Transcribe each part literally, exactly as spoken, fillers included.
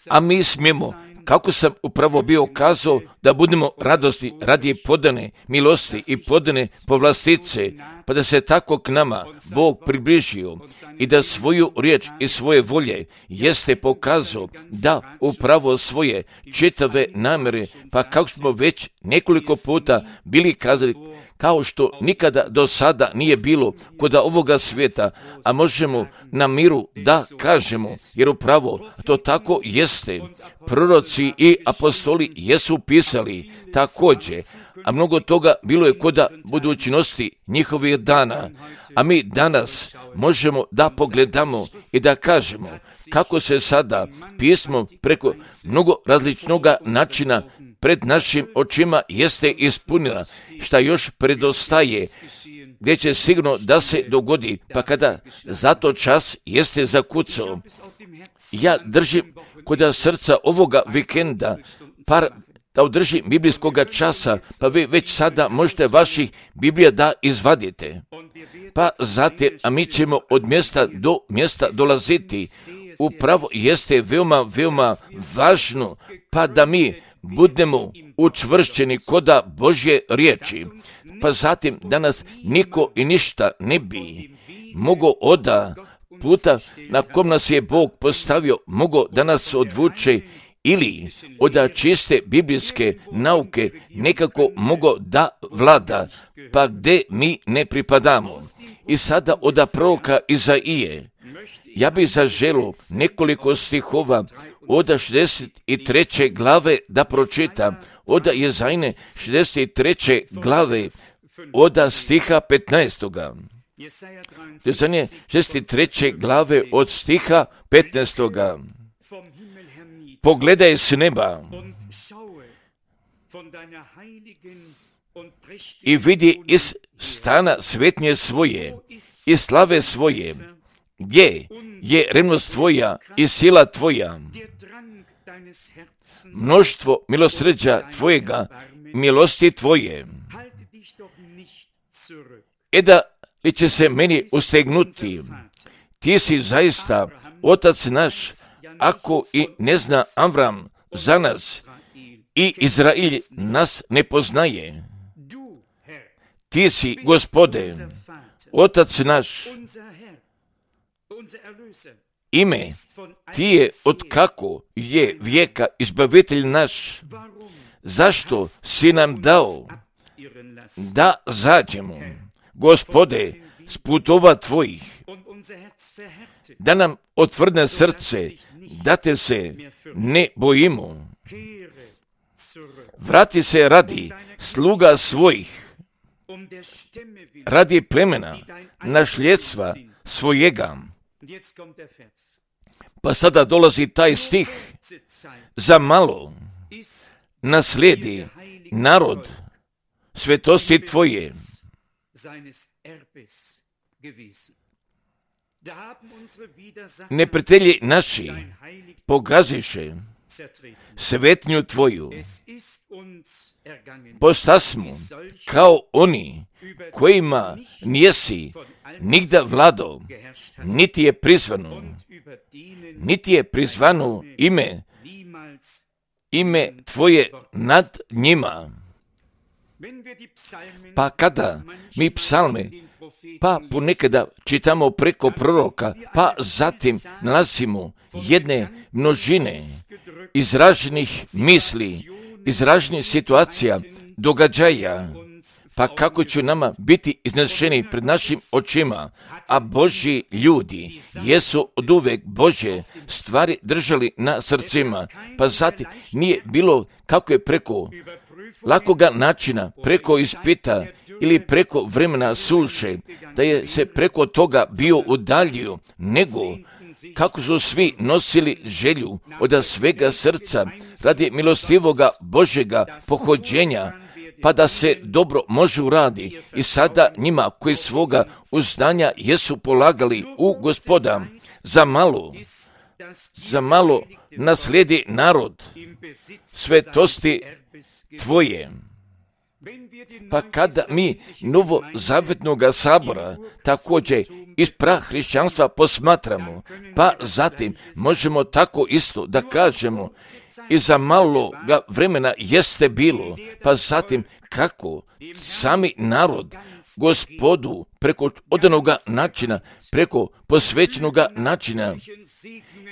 A mi smijemo, kako sam upravo bio kazao, da budemo radosni radi podane milosti i podane povlastice, pa da se tako k nama Bog približio i da svoju riječ i svoje volje jeste pokazao da upravo svoje čitave namjere, pa kako smo već nekoliko puta bili kazali, kao što nikada do sada nije bilo kod ovoga svijeta, a možemo na miru da kažemo, jer upravo to tako jeste. Proroci i apostoli jesu pisali također, a mnogo toga bilo je kod budućnosti njihovih dana, a mi danas možemo da pogledamo i da kažemo kako se sada pismo preko mnogo različnog načina pred našim očima jeste ispunila, šta još predostaje, gdje će sigurno da se dogodi, pa kada zato čas jeste zakucao. Ja držim kod srca ovoga vikenda par da održim biblijskog časa, pa vi već sada možete vaših Biblija da izvadite. Pa zatim, a mi ćemo od mjesta do mjesta dolaziti. Upravo jeste veoma, veoma važno, pa da mi budemo učvršćeni koda Božje riječi. Pa zatim danas niko i ništa ne bi mogao oda puta na kom nas je Bog postavio, mogao da nas odvuče ili od čiste biblijske nauke nekako mogao da vlada, pa gdje mi ne pripadamo. I sada od proroka Izaije, ja bih zaželio nekoliko stihova od šezdeset treće glave da pročitam, od Jezajine šezdeset treće glave, od stiha petnaestoga. Jezajine šezdeset treće glave od stiha petnaestoga. Pogledaj s neba i vidi iz stana svetnje svoje i slave svoje, gdje je revnost tvoja i sila tvoja, mnoštvo milosrđa tvojega, milosti tvoje. E da li će se meni ustegnuti, ti si zaista otac naš, ako i ne zna Avram za nas i Izrael nas ne poznaje. Ti si, Gospode, otac naš, ime ti je od kako je vijeka izbavitelj naš. Zašto si nam dao da zađemo, Gospode, s putova tvojih, da nam otvrdne srce, da te se ne bojimo. Vrati se radi sluga svojih, radi plemena, našljedstva svojega. Pa sada dolazi taj stih, za malo naslijedi narod svetosti tvoje. Neprijatelji naši pogaziše svetnju tvoju. Postasmo kao oni kojima nijesi nigda vlado, niti je prizvano, niti je prizvano ime, ime tvoje nad njima. Pa kada mi psalme, pa ponekada čitamo preko proroka, pa zatim nalazimo jedne množine izraženih misli, izraženih situacija, događaja, pa kako će nama biti iznešeni pred našim očima, a Božji ljudi jesu od uvek Božje stvari držali na srcima, pa zatim nije bilo kako je preko lakoga načina, preko ispita ili preko vremena suše, da je se preko toga bio udaljio, nego kako su svi nosili želju od svega srca radi milostivoga Božjega pohođenja, pa da se dobro može uradi. I sada njima koji svoga uzdanja jesu polagali u Gospoda, za malo, za malo naslijedi narod svetosti tvoje. Pa kada mi novozavetnoga sabora također iz prahrišćanstva posmatramo, pa zatim možemo tako isto da kažemo i za maloga vremena jeste bilo, pa zatim kako sami narod Gospodu preko odanoga načina, preko posvećenoga načina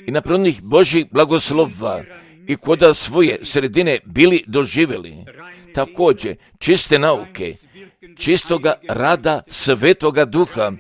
i napravljenih Božjih blagoslova i koda svoje sredine bili doživjeli. Također čiste nauke, čistoga rada Svetoga Duha,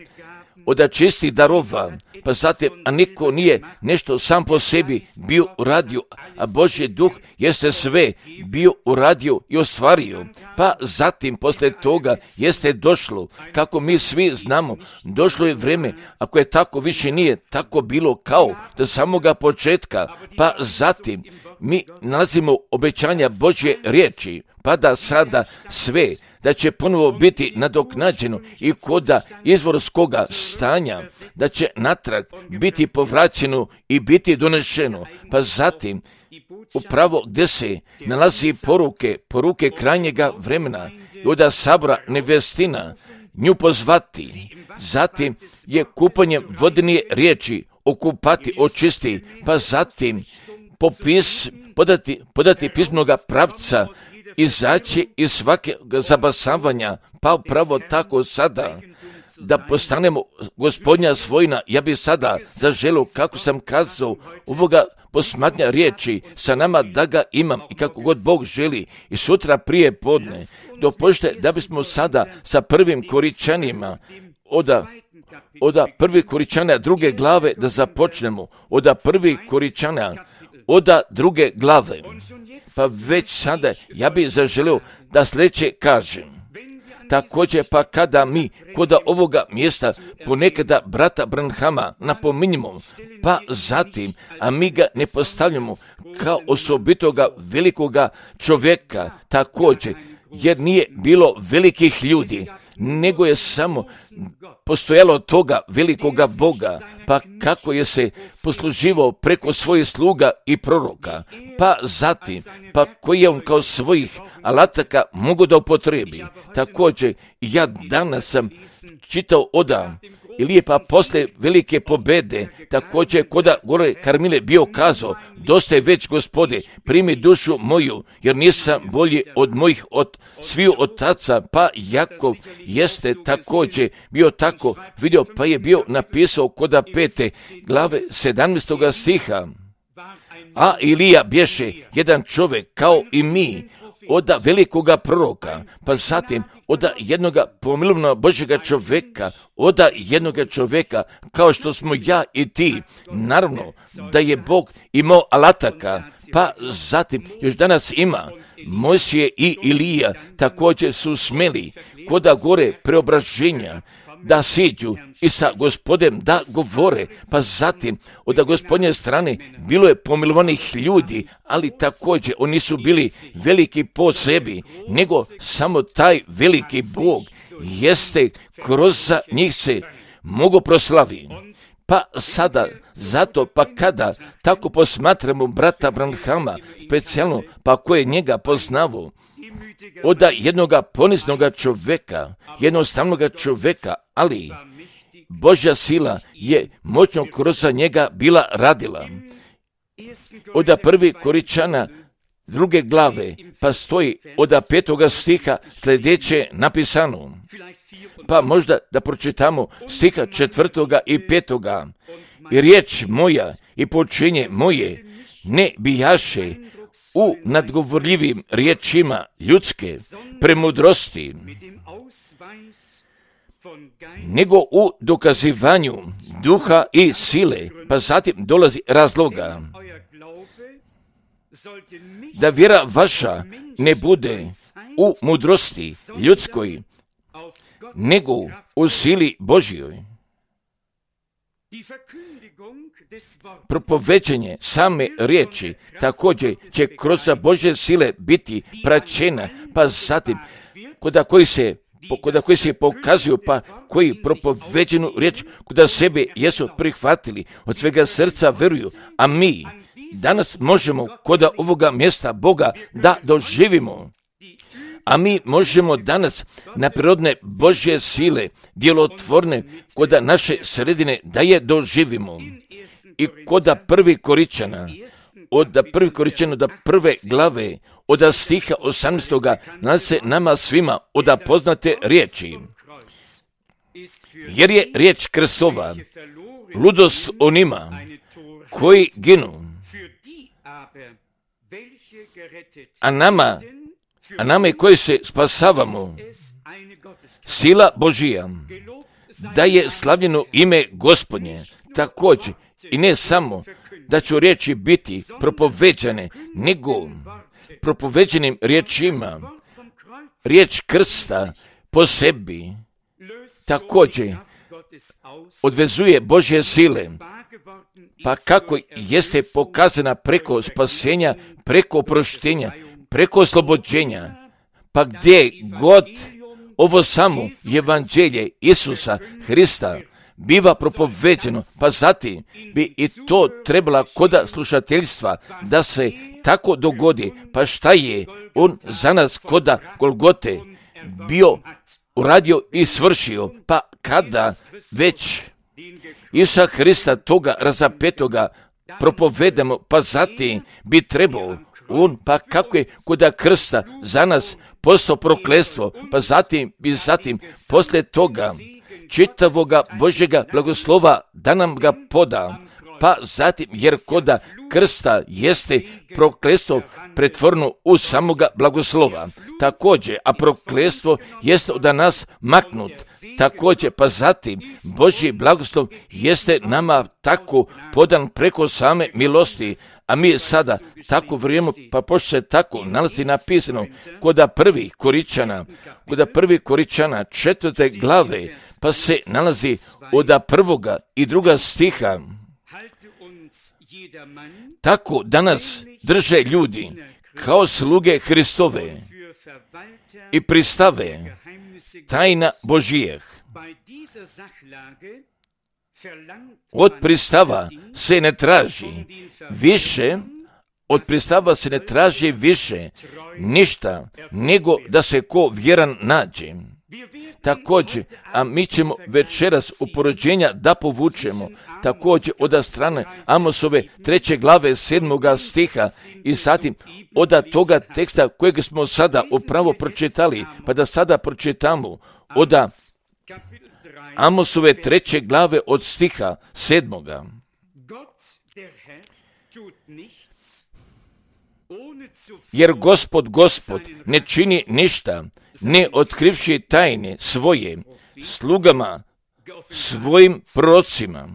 od čistih darova, pa zatim, a niko nije nešto sam po sebi bio uradio, a Božji Duh jeste sve bio uradio i ostvario. Pa zatim, poslije toga, jeste došlo, kako mi svi znamo, došlo je vrijeme, ako je tako više nije tako bilo kao do samoga početka, pa zatim mi nalazimo obećanja Božje riječi, pa da sada sve, da će ponovo biti nadoknađeno i koda izvorskoga stanja, da će natrag biti povraćeno i biti donešeno, pa zatim upravo gdje se nalazi poruke, poruke krajnjega vremena, od sabora nevestina, nju pozvati, zatim je kupanjem vodne riječi okupati, očisti, pa zatim popis, podati, podati pismenoga pravca, izaći iz svake zabasavanja, pa upravo tako sada, da postanemo Gospodnja svojina. Ja bih sada zaželio, kako sam kazao, ovoga posmatnja riječi sa nama da ga imam i kako god Bog želi i sutra prije podne. Dopušte da bismo sada sa prvim Koričanima, oda, oda prvih Koričana druge glave da započnemo, oda prvih Koričana, oda druge glave. Pa već sada ja bih zaželio da sljedeće kažem. Također pa kada mi kod ovoga mjesta ponekada brata Branhama napominjemo, pa zatim, a mi ga ne postavljamo kao osobitoga velikoga čovjeka također, jer nije bilo velikih ljudi, nego je samo postojalo toga velikoga Boga, pa kako je se posluživao preko svojih sluga i proroka, pa zatim, pa koji je on kao svojih alataka mogu da upotrebi. Također, ja danas sam čitao oda i lijepa posle velike pobede, također koda gore Karmile bio kazao, dosta je već Gospode, primi dušu moju, jer nisam bolji od mojih od sviju otaca, pa Jakov jeste također bio tako vidio, pa je bio napisao koda pete glave sedamnaestoga stiha. A Ilija bješe jedan čovjek kao i mi, od velikoga proroka, pa zatim od jednoga pomilovnog Božjega čovjeka, od jednoga čovjeka kao što smo ja i ti. Naravno da je Bog imao alataka, pa zatim još danas ima. Mojsije i Ilija također su smeli koda gore preobraženja da siđu i sa Gospodem da govore, pa zatim od Gospodnje strane bilo je pomilovanih ljudi, ali također oni su bili veliki po sebi, nego samo taj veliki Bog jeste kroz njih se mogu proslavi. Pa sada, zato pa kada tako posmatramo brata Branhama, specijalno pa ko je njega poznavao, od jednoga poniznoga čovjeka, jednostavnoga čovjeka, ali Božja sila je moćno kroz njega bila radila. Od prvi Koričana druge glave, pa stoji od petoga stiha sljedeće napisano. Pa možda da pročitamo stiha četvrtoga i petoga. I riječ moja i počinje moje ne bijaše u nadgovorljivim riječima ljudske premudrosti, nego u dokazivanju duha i sile, pa zatim dolazi razloga. Da vjera vaša ne bude u mudrosti ljudskoj, nego u sili Božjoj. Propoveđenje same riječi također će kroz Božje sile biti praćena, pa zatim koda koji se koda koji se pokazuju, pa koji propoveđenu riječ koda sebe jesu prihvatili, od svega srca veruju, a mi danas možemo koda ovoga mjesta Boga da doživimo. a mi možemo danas na prirodne Božje sile, djelotvorne, koda naše sredine da je doživimo. I koda prvi Koričana, od prvi Koričana do prve glave, od stiha osamnaestoga nalazi se nama svima od poznate riječi. Jer je riječ Kristova ludost onima koji ginu, a nama, a nama koji se spasavamo, sila Božija, da je slavljeno ime Gospodnje. Također, i ne samo da će riječi biti propoveđane, nego propoveđenim riječima, riječ krsta po sebi, također odvezuje Božje sile, pa kako jeste pokazana preko spasenja, preko oproštenja, preko oslobođenja, pa gdje god ovo samo evanđelje Isusa Hrista biva propoveđeno, pa zatim bi i to trebala koda slušateljstva da se tako dogodi. Pa šta je on za nas koda Golgote bio uradio i svršio, pa kada već Isusa Hrista toga razapetoga propovedamo, pa zatim bi trebao on, pa kako je koda krsta za nas postao prokletstvo, pa zatim bi zatim poslije toga čitavoga Božjega blagoslova da nam ga poda, pa zatim jer koda krsta jeste prokletstvo pretvoreno u samoga blagoslova. Također, a prokletstvo jeste od nas maknut. Također, pa zatim Božji blagoslov jeste nama tako podan preko same milosti, a mi sada tako vrijeme, pa pošto se tako nalazi napisano koda prvih Koričana, koda prvih Koričana četvrte glave, pa se nalazi od prvoga i druga stiha. Tako danas drže ljudi kao sluge Hristove i pristave tajna Božijeh. Od pristava se ne traži više, od pristava se ne traži više ništa nego da se ko vjeran nađe. Također, a mi ćemo večeras uporođenja da povučemo također od strane Amosove treće glave sedmoga stiha i zatim od toga teksta kojeg smo sada upravo pročitali, pa da sada pročitamo od Amosove treće glave od stiha sedmoga. Jer Gospod, Gospod ne čini ništa, ne otkrivši tajne svoje slugama, svojim prorocima.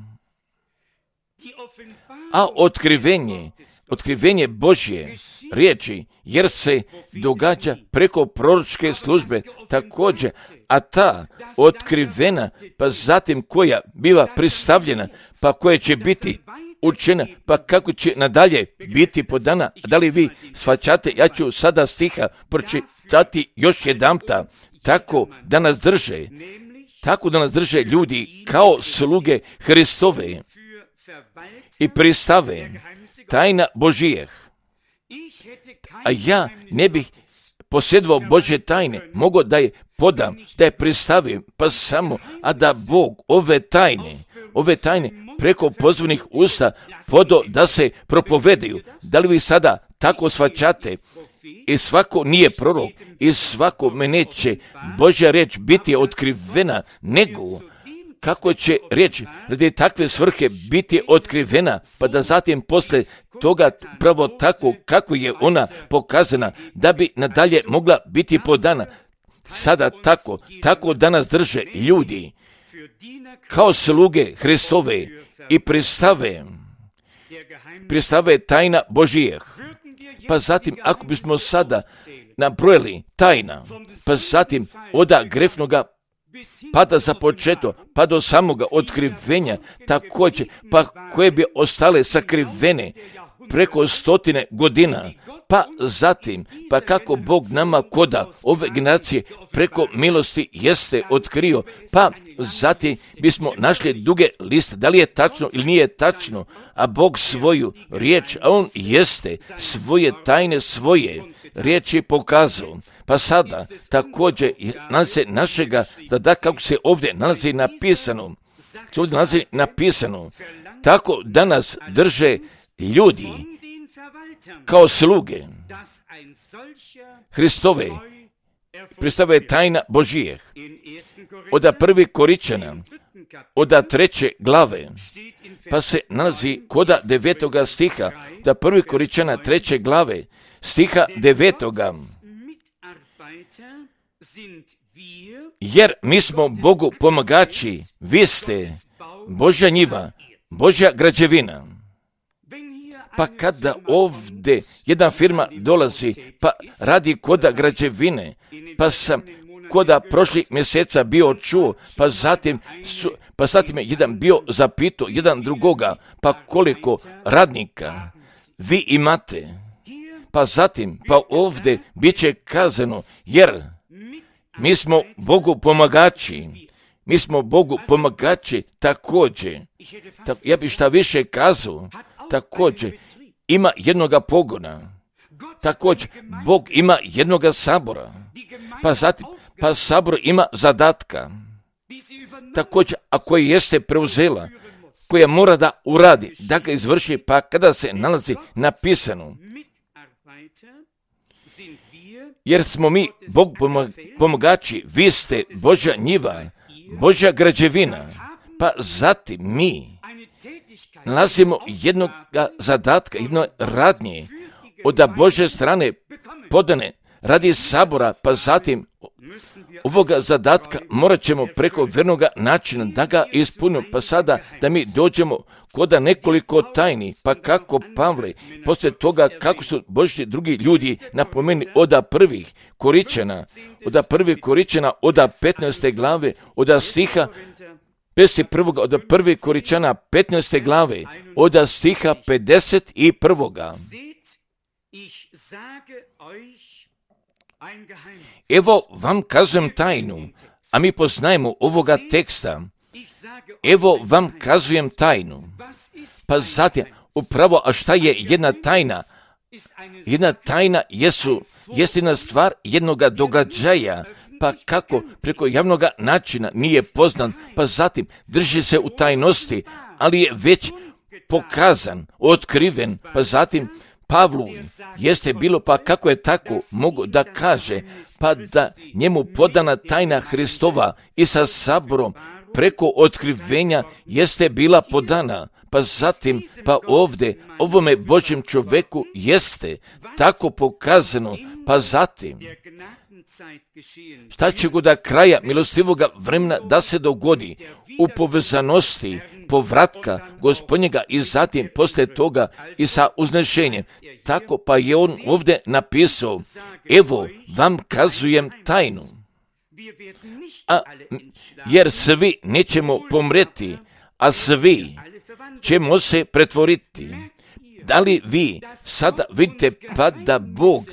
A otkrivenje, otkrivenje Božje riječi, jer se događa preko proročke službe također, a ta otkrivena, pa zatim koja biva pristavljena, pa koja će biti učena, pa kako će nadalje biti podana. Da li vi shvaćate? Ja ću sada stiha pročitati još jedanputa. Tako da nas drže, tako da nas drže ljudi kao sluge Hristove i pristave tajna Božijeh. A ja ne bih posjedovao Božje tajne, mogo da je podam, da je pristavim, pa samo, a da Bog ove tajne, ove tajne preko pozvanih usta podo da se propovedaju. Da li vi sada tako shvaćate? I svako nije prorok, i svako me neće Božja riječ biti otkrivena, nego kako će riječ radi takve svrhe biti otkrivena, pa da zatim posle toga pravo tako kako je ona pokazana, da bi nadalje mogla biti podana. Sada tako, tako danas drže ljudi kao sluge Hristove i pristave, pristave tajna Božijeh. Pa zatim, ako bismo sada nabrojili tajna, pa zatim oda grefnoga pada za početo, pa do samoga otkrivenja, također, pa koje bi ostale sakrivene preko stotine godina, pa zatim, pa kako Bog nama koda ove generacije preko milosti jeste otkrio, pa zatim bismo našli duge liste, da li je tačno ili nije tačno, a Bog svoju riječ, a On jeste svoje tajne, svoje riječi pokazao. Pa sada također nalazi našega, da kako se ovdje nalazi napisano, se ovdje nalazi napisano, tako danas drže ljudi kao sluge Hristove, predstavlja tajna Božijeh. Od prvi Koričana, od treće glave, pa se nalazi koda devetoga stiha, da prvi Koričana treće glave, stiha devetoga. Jer mi smo Bogu pomagači, vi ste Božja njiva, Božja građevina. Pa kada ovdje jedna firma dolazi, pa radi koda građevine, pa sam koda prošli mjeseca bio čuo, pa zatim, su, pa zatim je jedan bio zapitao jedan drugoga, pa koliko radnika vi imate, pa zatim, pa ovdje bit će kazano, jer mi smo Bogu pomagači, mi smo Bogu pomagači također, ta, ja bih šta više kazao, također ima jednoga pogona, također Bog ima jednoga sabora, pa zatim, pa sabor ima zadatka, također, a koji jeste preuzela, koja mora da uradi, da ga izvrši, pa kada se nalazi napisano, jer smo mi Bog pomagači, vi ste Božja njiva, Božja građevina, pa zatim mi nalazimo jednog zadatka, jedno radnje od Božje strane podane radi sabora, pa zatim ovoga zadatka morat ćemo preko vernoga načina da ga ispunimo, pa sada da mi dođemo koda nekoliko tajni, pa kako Pavle, poslije toga kako su Božji drugi ljudi napomeni od prvih Koričana, od prvih Koričana, od petnaeste glave, od stiha pedeset prvog od prvih Koričana petnaeste glave, od stiha pedeset prvog. Evo vam kazujem tajnu, a mi poznajemo ovoga teksta. Evo vam kazujem tajnu. Pa zatim, upravo, a šta je jedna tajna? Jedna tajna jesu, jest jedna stvar jednoga događaja, pa kako preko javnog načina nije poznan, pa zatim drži se u tajnosti, ali je već pokazan, otkriven, pa zatim Pavlu jeste bilo, pa kako je tako mogu da kaže, pa da njemu podana tajna Hristova i sa saborom preko otkrivenja jeste bila podana, pa zatim, pa ovdje, ovome Božjem čovjeku jeste tako pokazano, pa zatim, šta će go da kraja milostivoga vremena da se dogodi u povezanosti povratka Gospodnjega i zatim poslije toga i sa uznešenjem. Tako pa je on ovdje napisao, evo vam kazujem tajnu. A, jer svi nećemo pomreti, a svi ćemo se pretvoriti. Da li vi sada vidite pa da Bog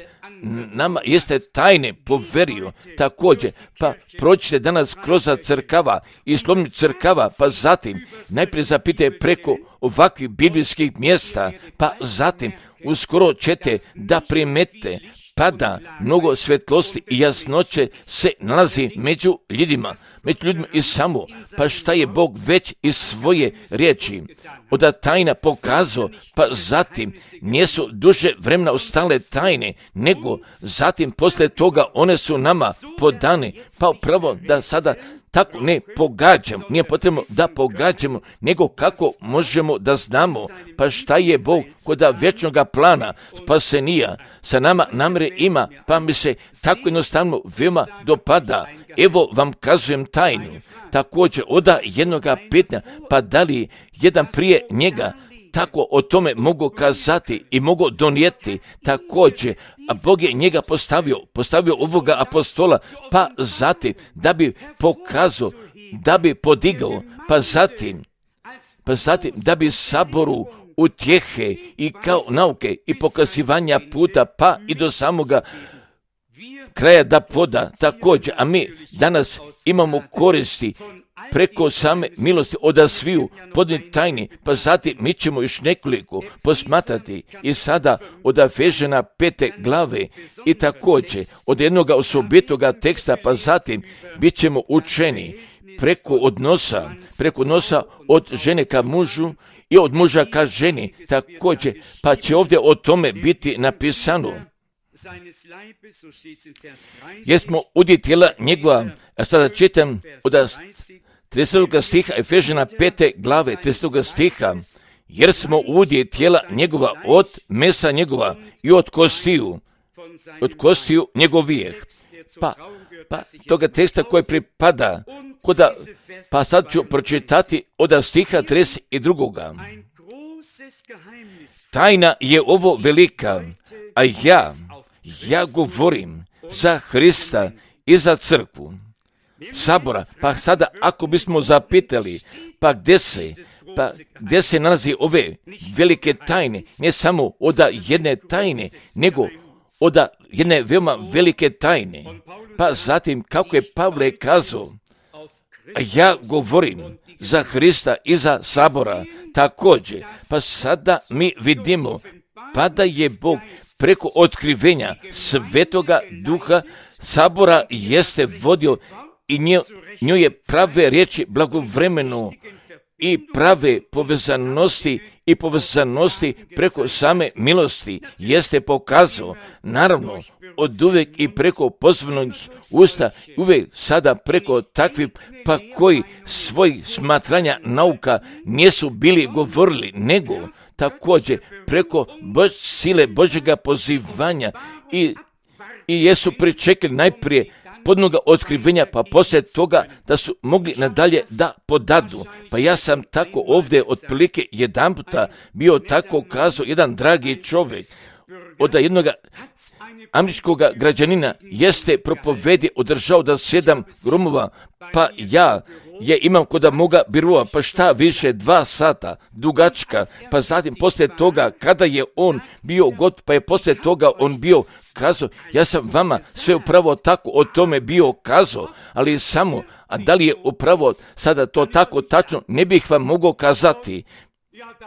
nama jeste tajne poverio također, pa prođite danas kroz crkava i slovni crkava, pa zatim najprije zapite preko ovakvih biblijskih mjesta, pa zatim uskoro ćete da primete pada mnogo svetlosti i jasnoće se nalazi među ljudima, među ljudima i samo, pa šta je Bog već iz svoje riječi od tajna pokazao, pa zatim nisu duže vremena ostale tajne, nego zatim poslije toga one su nama podane, pa upravo da sada tako ne pogađamo, nije potrebno da pogađamo, nego kako možemo da znamo, pa šta je Bog kod vječnoga plana spasenija sa nama namre ima, pa mi se tako jednostavno veoma dopada. Evo vam kazujem tajnu. Također oda jednoga pitanja, pa da li jedan prije njega tako o tome mogu kazati i mogu donijeti također, a Bog je njega postavio, postavio ovoga apostola, pa zatim da bi pokazao, da bi podigao, pa zatim, pa zatim da bi saboru utjehe i kao nauke i pokazivanja puta pa i do samoga kraja da poda također, a mi danas imamo koristi preko same milosti od sviju podnijeti tajni, pa zatim mi ćemo još nekoliko posmatrati i sada od Efežana pete glave i također od jednog osobitoga teksta, pa zatim bit ćemo učeni preko odnosa, preko odnosa od žene ka mužu i od muža ka ženi također, pa će ovdje o tome biti napisano. Jer smo udje tijela njegova, a sada čitam od tridesetog stiha Efežana pete glave tridesetog stiha, jer smo udje tijela njegova od mesa njegova i od kostiju, od kostiju njegovijeh. Pa, pa toga teksta koji pripada, koda, pa sad ću pročitati od stiha trideset dva. Tajna je ovo velika, a ja, ja govorim za Hrista i za crkvu sabora. Pa sada ako bismo zapitali, pa gdje se, pa gdje se nalazi ove velike tajne, ne samo od jedne tajne, nego od jedne veoma velike tajne. Pa zatim kako je Pavle kazao, a ja govorim za Hrista i za sabora također. Pa sada mi vidimo, pa da je Bog preko otkrivenja Svetoga Duha sabora jeste vodio i njoj je prave riječi blagovremeno i prave povezanosti i povezanosti preko same milosti jeste pokazao, naravno od uvijek i preko pozvanih usta, uvijek sada preko takvih pa koji svoj smatranja nauka nisu bili govorili, nego također preko Bož, sile Božjega pozivanja i, i jesu pričekali najprije podnoga otkrivenja, pa poslije toga da su mogli nadalje da podadu. Pa ja sam tako ovdje otprilike jedan puta bio tako kazao, jedan dragi čovjek od jednog američkog građanina jeste propovedi održao da sedam gromova, pa ja je imam koda moga birova, pa šta više dva sata dugačka, pa zatim poslije toga kada je on bio god, pa je poslije toga on bio kazao, ja sam vama sve upravo tako o tome bio kazao, ali samo, a da li je upravo sada to tako tačno, ne bih vam mogao kazati.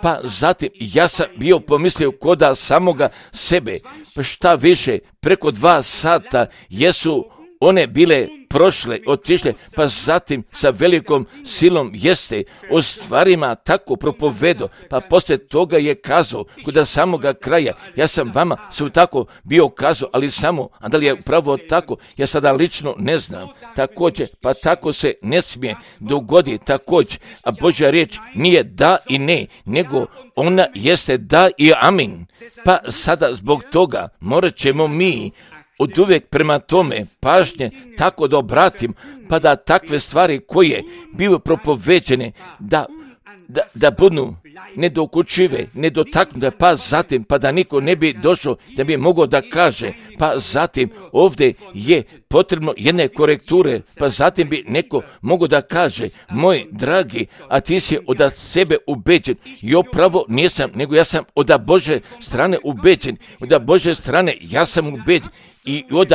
Pa zatim ja sam bio pomislio koda samoga sebe, pa šta više, preko dva sata jesu one bile prošle, otišle, pa zatim sa velikom silom jeste o stvarima tako propovedo, pa poslije toga je kazao, kod samoga kraja, ja sam vama sve tako bio kazao, ali samo, a da li je upravo tako, ja sada lično ne znam, također, pa tako se ne smije dogoditi, također, a Božja riječ nije da i ne, nego ona jeste da i amin, pa sada zbog toga morat ćemo mi od uvijek prema tome pažnje tako da obratim, pa da takve stvari koje bivaju propoveđene da, da, da budu nedokučive, nedotaknute, pa zatim, pa da niko ne bi došao da bi mogao da kaže, pa zatim ovdje je potrebno jedne korekture, pa zatim bi neko mogao da kaže, moj dragi, a ti si od sebe ubeđen, i opravo nisam, nego ja sam od Bože strane ubeđen, od Bože strane ja sam ubeđen, i od,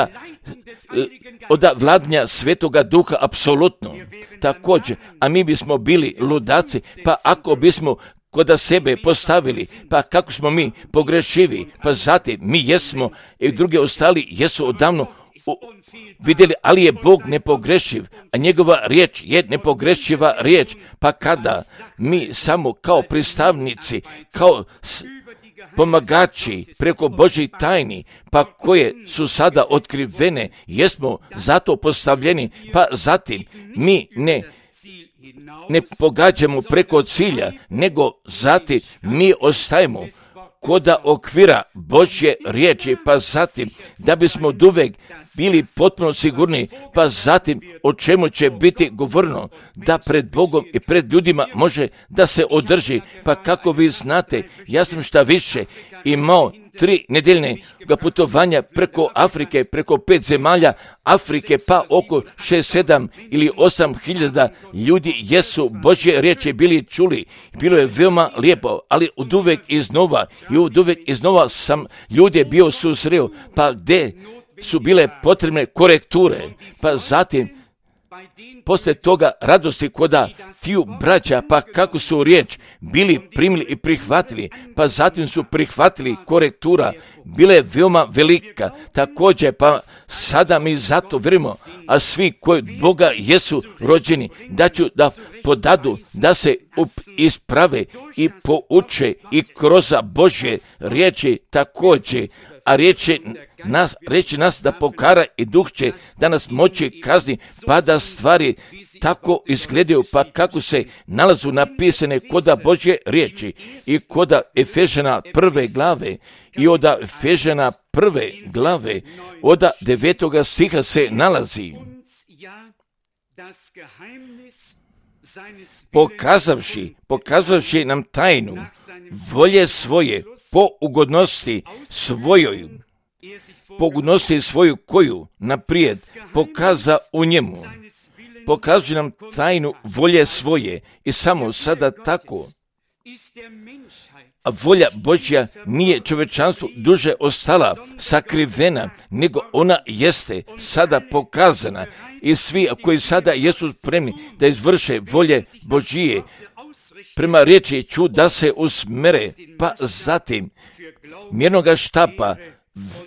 od vladanja Svetoga Duha apsolutno. Također, a mi bismo bili ludaci, pa ako bismo kod sebe postavili, pa kako smo mi pogrešivi, pa zatim mi jesmo i drugi ostali jesu odavno u, vidjeli, ali je Bog nepogrešiv, a njegova riječ je nepogrešiva riječ, pa kada mi samo kao pristavnici, kao pomagači preko Božjih tajni, pa koje su sada otkrivene, jesmo zato postavljeni, pa zatim mi ne ne pogađamo preko cilja, nego zatim mi ostajemo koda okvira Božje riječi, pa zatim da bismo oduvek bili potpuno sigurni, pa zatim o čemu će biti govorno, da pred Bogom i pred ljudima može da se održi, pa kako vi znate, ja sam šta više imao tri nedeljne putovanja preko Afrike, preko pet zemalja Afrike, pa oko šest, sedam ili osam hiljada ljudi jesu Božje riječi bili čuli. Bilo je veoma lijepo, ali oduvek iznova i oduvek iznova sam ljude bio susreo, pa gdje su bile potrebne korekture, pa zatim poslije toga radosti koda tiju braća, pa kako su riječ bili primili i prihvatili, pa zatim su prihvatili korektura, bile je veoma velika, također pa sada mi zato vjerujemo, a svi koji Boga jesu rođeni, da ću da podadu, da se isprave i pouče i kroz Božje riječi također, a riječi nas, riječi nas da pokara i duh će da nas moći kazni, pa da stvari tako izgledaju, pa kako se nalazu napisane koda Božje riječi i koda Efežana prve glave i od Efežana prve glave od devetoga stiha se nalazi. Pokazavši, pokazavši nam tajnu volje svoje po ugodnosti svojoj, po ugodnosti svoju koju naprijed pokaza u njemu. Pokazuje nam tajnu volje svoje i samo sada tako. A volja Božja nije čovječanstvu duže ostala sakrivena, nego ona jeste sada pokazana i svi koji sada jesu spremni da izvrše volje Božije, prema riječi ću da se usmere, pa zatim mjernoga štapa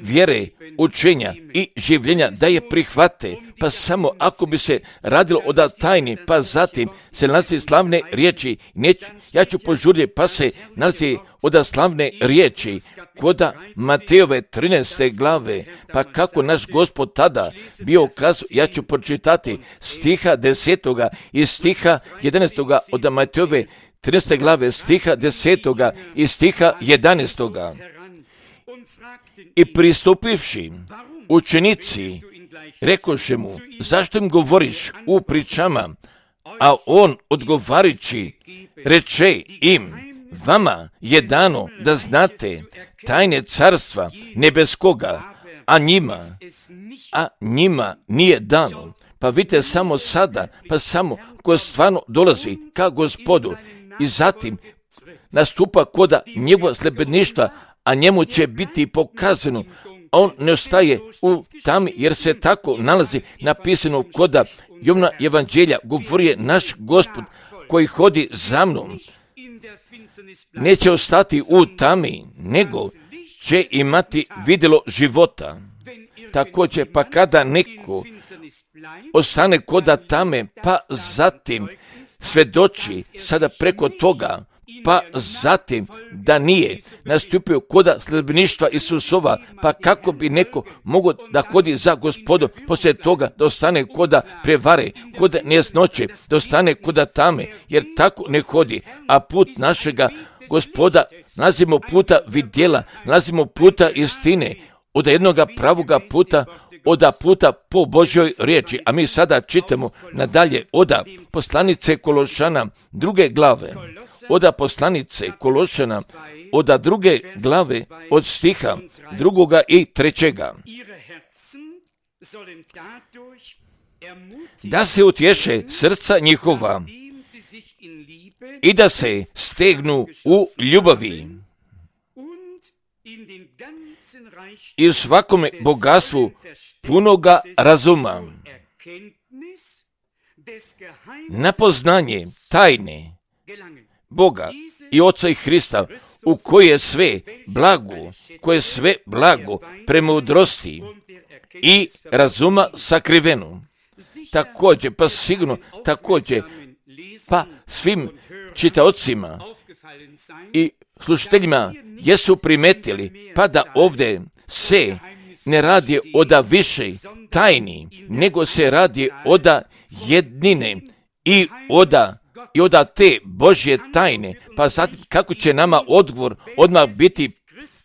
vjere, učenja i življenja da je prihvate, pa samo ako bi se radilo o da tajni, pa zatim se nalazi slavne riječi, neću, ja ću požuriti, pa se nalazi od slavne riječi koda Matejove trinaeste glave, pa kako naš Gospod tada bio kazao, ja ću pročitati stiha desetoga i stiha jedanaestoga od Matejove trinaeste glave, stiha desetoga i stiha jedanaestoga. I pristupivši učenici, rekoše mu, zašto im govoriš u pričama? A on odgovarići, reče im, vama je dano da znate tajne carstva nebeskoga, a njima, a njima nije dano. Pa vidite samo sada, pa samo ko stvarno dolazi ka Gospodu i zatim nastupa koda njegova sljedbeništva, a njemu će biti pokazano. On ne ostaje u tami, jer se tako nalazi napisano koda Jovana evanđelja, govori je naš Gospod koji hodi za mnom. Neće ostati u tami, nego će imati vidjelo života. Također, pa kada neko ostane koda tame, pa zatim svedoči sada preko toga, pa zatim da nije nastupio koda sljedbeništva Isusova, pa kako bi neko mogao da hodi za Gospodom, poslije toga da ostane koda prevare, koda nejasnoće, da ostane koda tame, jer tako ne hodi, a put našega Gospoda nalazimo puta vidjela, nalazimo puta istine, od jednoga pravoga puta, oda puta po Božjoj riječi. A mi sada čitamo nadalje oda poslanice Kološana druge glave, oda poslanice Kološana, oda druge glave od stiha drugoga i trećega. Da se utješe srca njihova i da se stegnu u ljubavi i u svakome bogatstvu punoga razuma, na poznanje tajne Boga i Oca i Hrista, u koje je sve blago, koje je sve blago premudrosti i razuma sakriveno. Također, pa sigurno, također, pa svim čitaocima i slušateljima jesu primetili, pa da ovdje se ne radi oda više tajni, nego se radi oda jednine i oda i oda te Božje tajne, pa zatim kako će nama odgovor odmah biti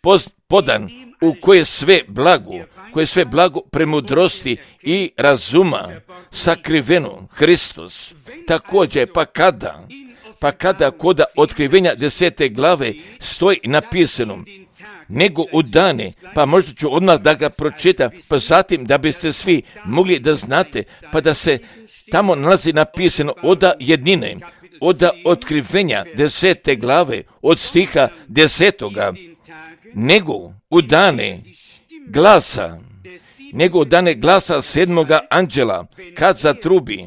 poz, podan, u koje sve blago, koje sve blago premudrosti i razuma sakriveno Hristos. Također, pa kada, pa kada koda otkrivenja desete glave stoji napisano, nego u dane, pa možda ću odmah da ga pročitam, pa zatim da biste svi mogli da znate, pa da se tamo nalazi napisano oda jednine, oda otkrivenja desete glave, od stiha desetoga, nego u dane glasa, nego u dane glasa sedmoga anđela, kad zatrubi,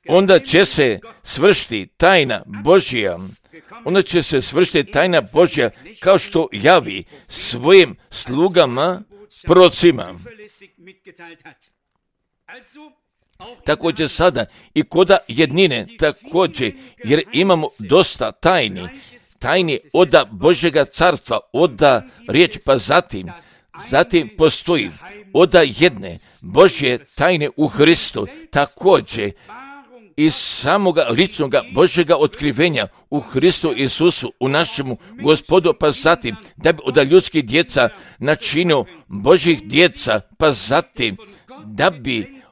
onda će se svršiti tajna Božja, onda će se svršiti tajna Božja kao što javi svojim slugama, prorocima. Također sada i koda jednine, također, jer imamo dosta tajni, tajni oda Božjega carstva, oda riječ, pa zatim, zatim postoji oda jedne Božje tajne u Hristu, također iz samoga ličnoga Božjega otkrivenja u Hristu Isusu, u našemu Gospodu, pa zatim da bi od ljudskih djeca načinio Božjih djeca, pa zatim da bi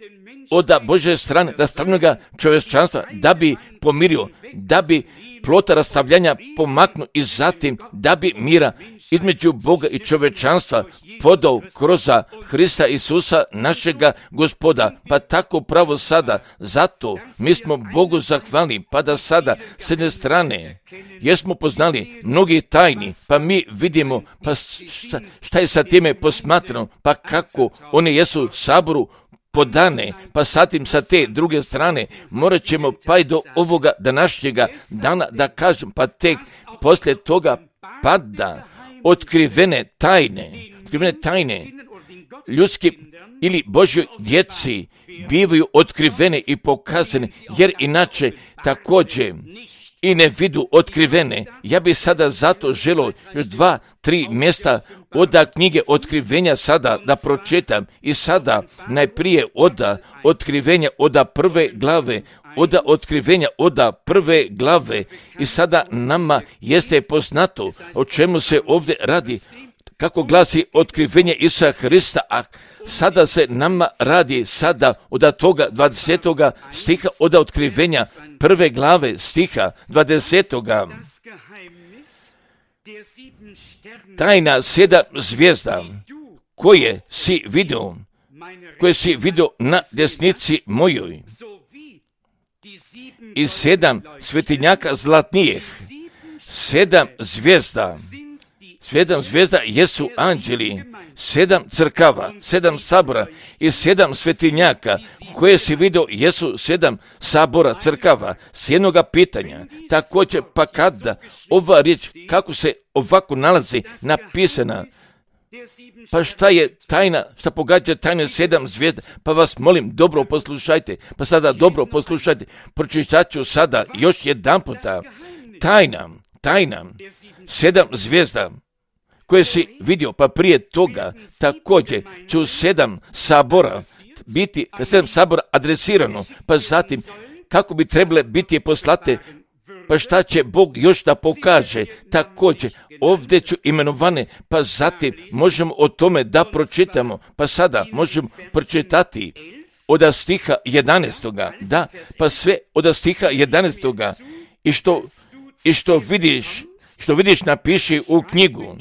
od Božje strane rastavljenoga čovječanstva, da bi pomirio, da bi plota rastavljanja pomaknuo i zatim da bi mira između Boga i čovječanstva podao kroz Hrista Isusa, našega Gospoda. Pa tako pravo sada, zato mi smo Bogu zahvalni, pa da sada s jedne strane jesmo poznali mnogi tajni, pa mi vidimo pa šta, šta je sa time posmatrano, pa kako one jesu saboru podane, pa satim sa te druge strane morat ćemo pa i do ovoga današnjega dana da kažem, pa tek poslije toga pada otkrivene tajne, otkrivene tajne ljudski ili Božjoj djeci bivaju otkrivene i pokazane, jer inače također i ne vidu otkrivene. Ja bi sada zato želio još dva, tri mjesta od knjige otkrivenja sada da pročitam i sada najprije od otkrivenja od prve glave, od otkrivenja od prve glave i sada nama jeste poznato o čemu se ovdje radi, kako glasi otkrivenje Isusa Hrista, a sada se nama radi sada od toga dvadesetoga stiha, od otkrivenja prve glave stiha dvadesetoga. Tajna sedam zvijezda koje si vidio, koje si vidio na desnici mojoj i sedam svetinjaka zlatnijih, sedam zvijezda, sedam zvijezda jesu anđeli, sedam crkava, sedam sabora i sedam svetinjaka koje si vidio jesu sedam sabora crkava. S jednoga pitanja, također pa kada ova riječ, kako se ovako nalazi napisana, pa šta je tajna, šta pogađa tajne sedam zvijezda, pa vas molim, dobro poslušajte, pa sada dobro poslušajte, pročitat ću sada još jedan puta, tajna, tajna, sedam zvijezda koje si vidio, pa prije toga također ću sedam sabora biti, sedam sabora adresirano, pa zatim kako bi trebale biti poslate, pa šta će Bog još da pokaže, također ovdje ću imenovane, pa zatim možemo o tome da pročitamo, pa sada možemo pročitati od stiha jedanaestoga, da, pa sve od stiha jedanaestoga i što, i što vidiš, što vidiš napiši u knjigu,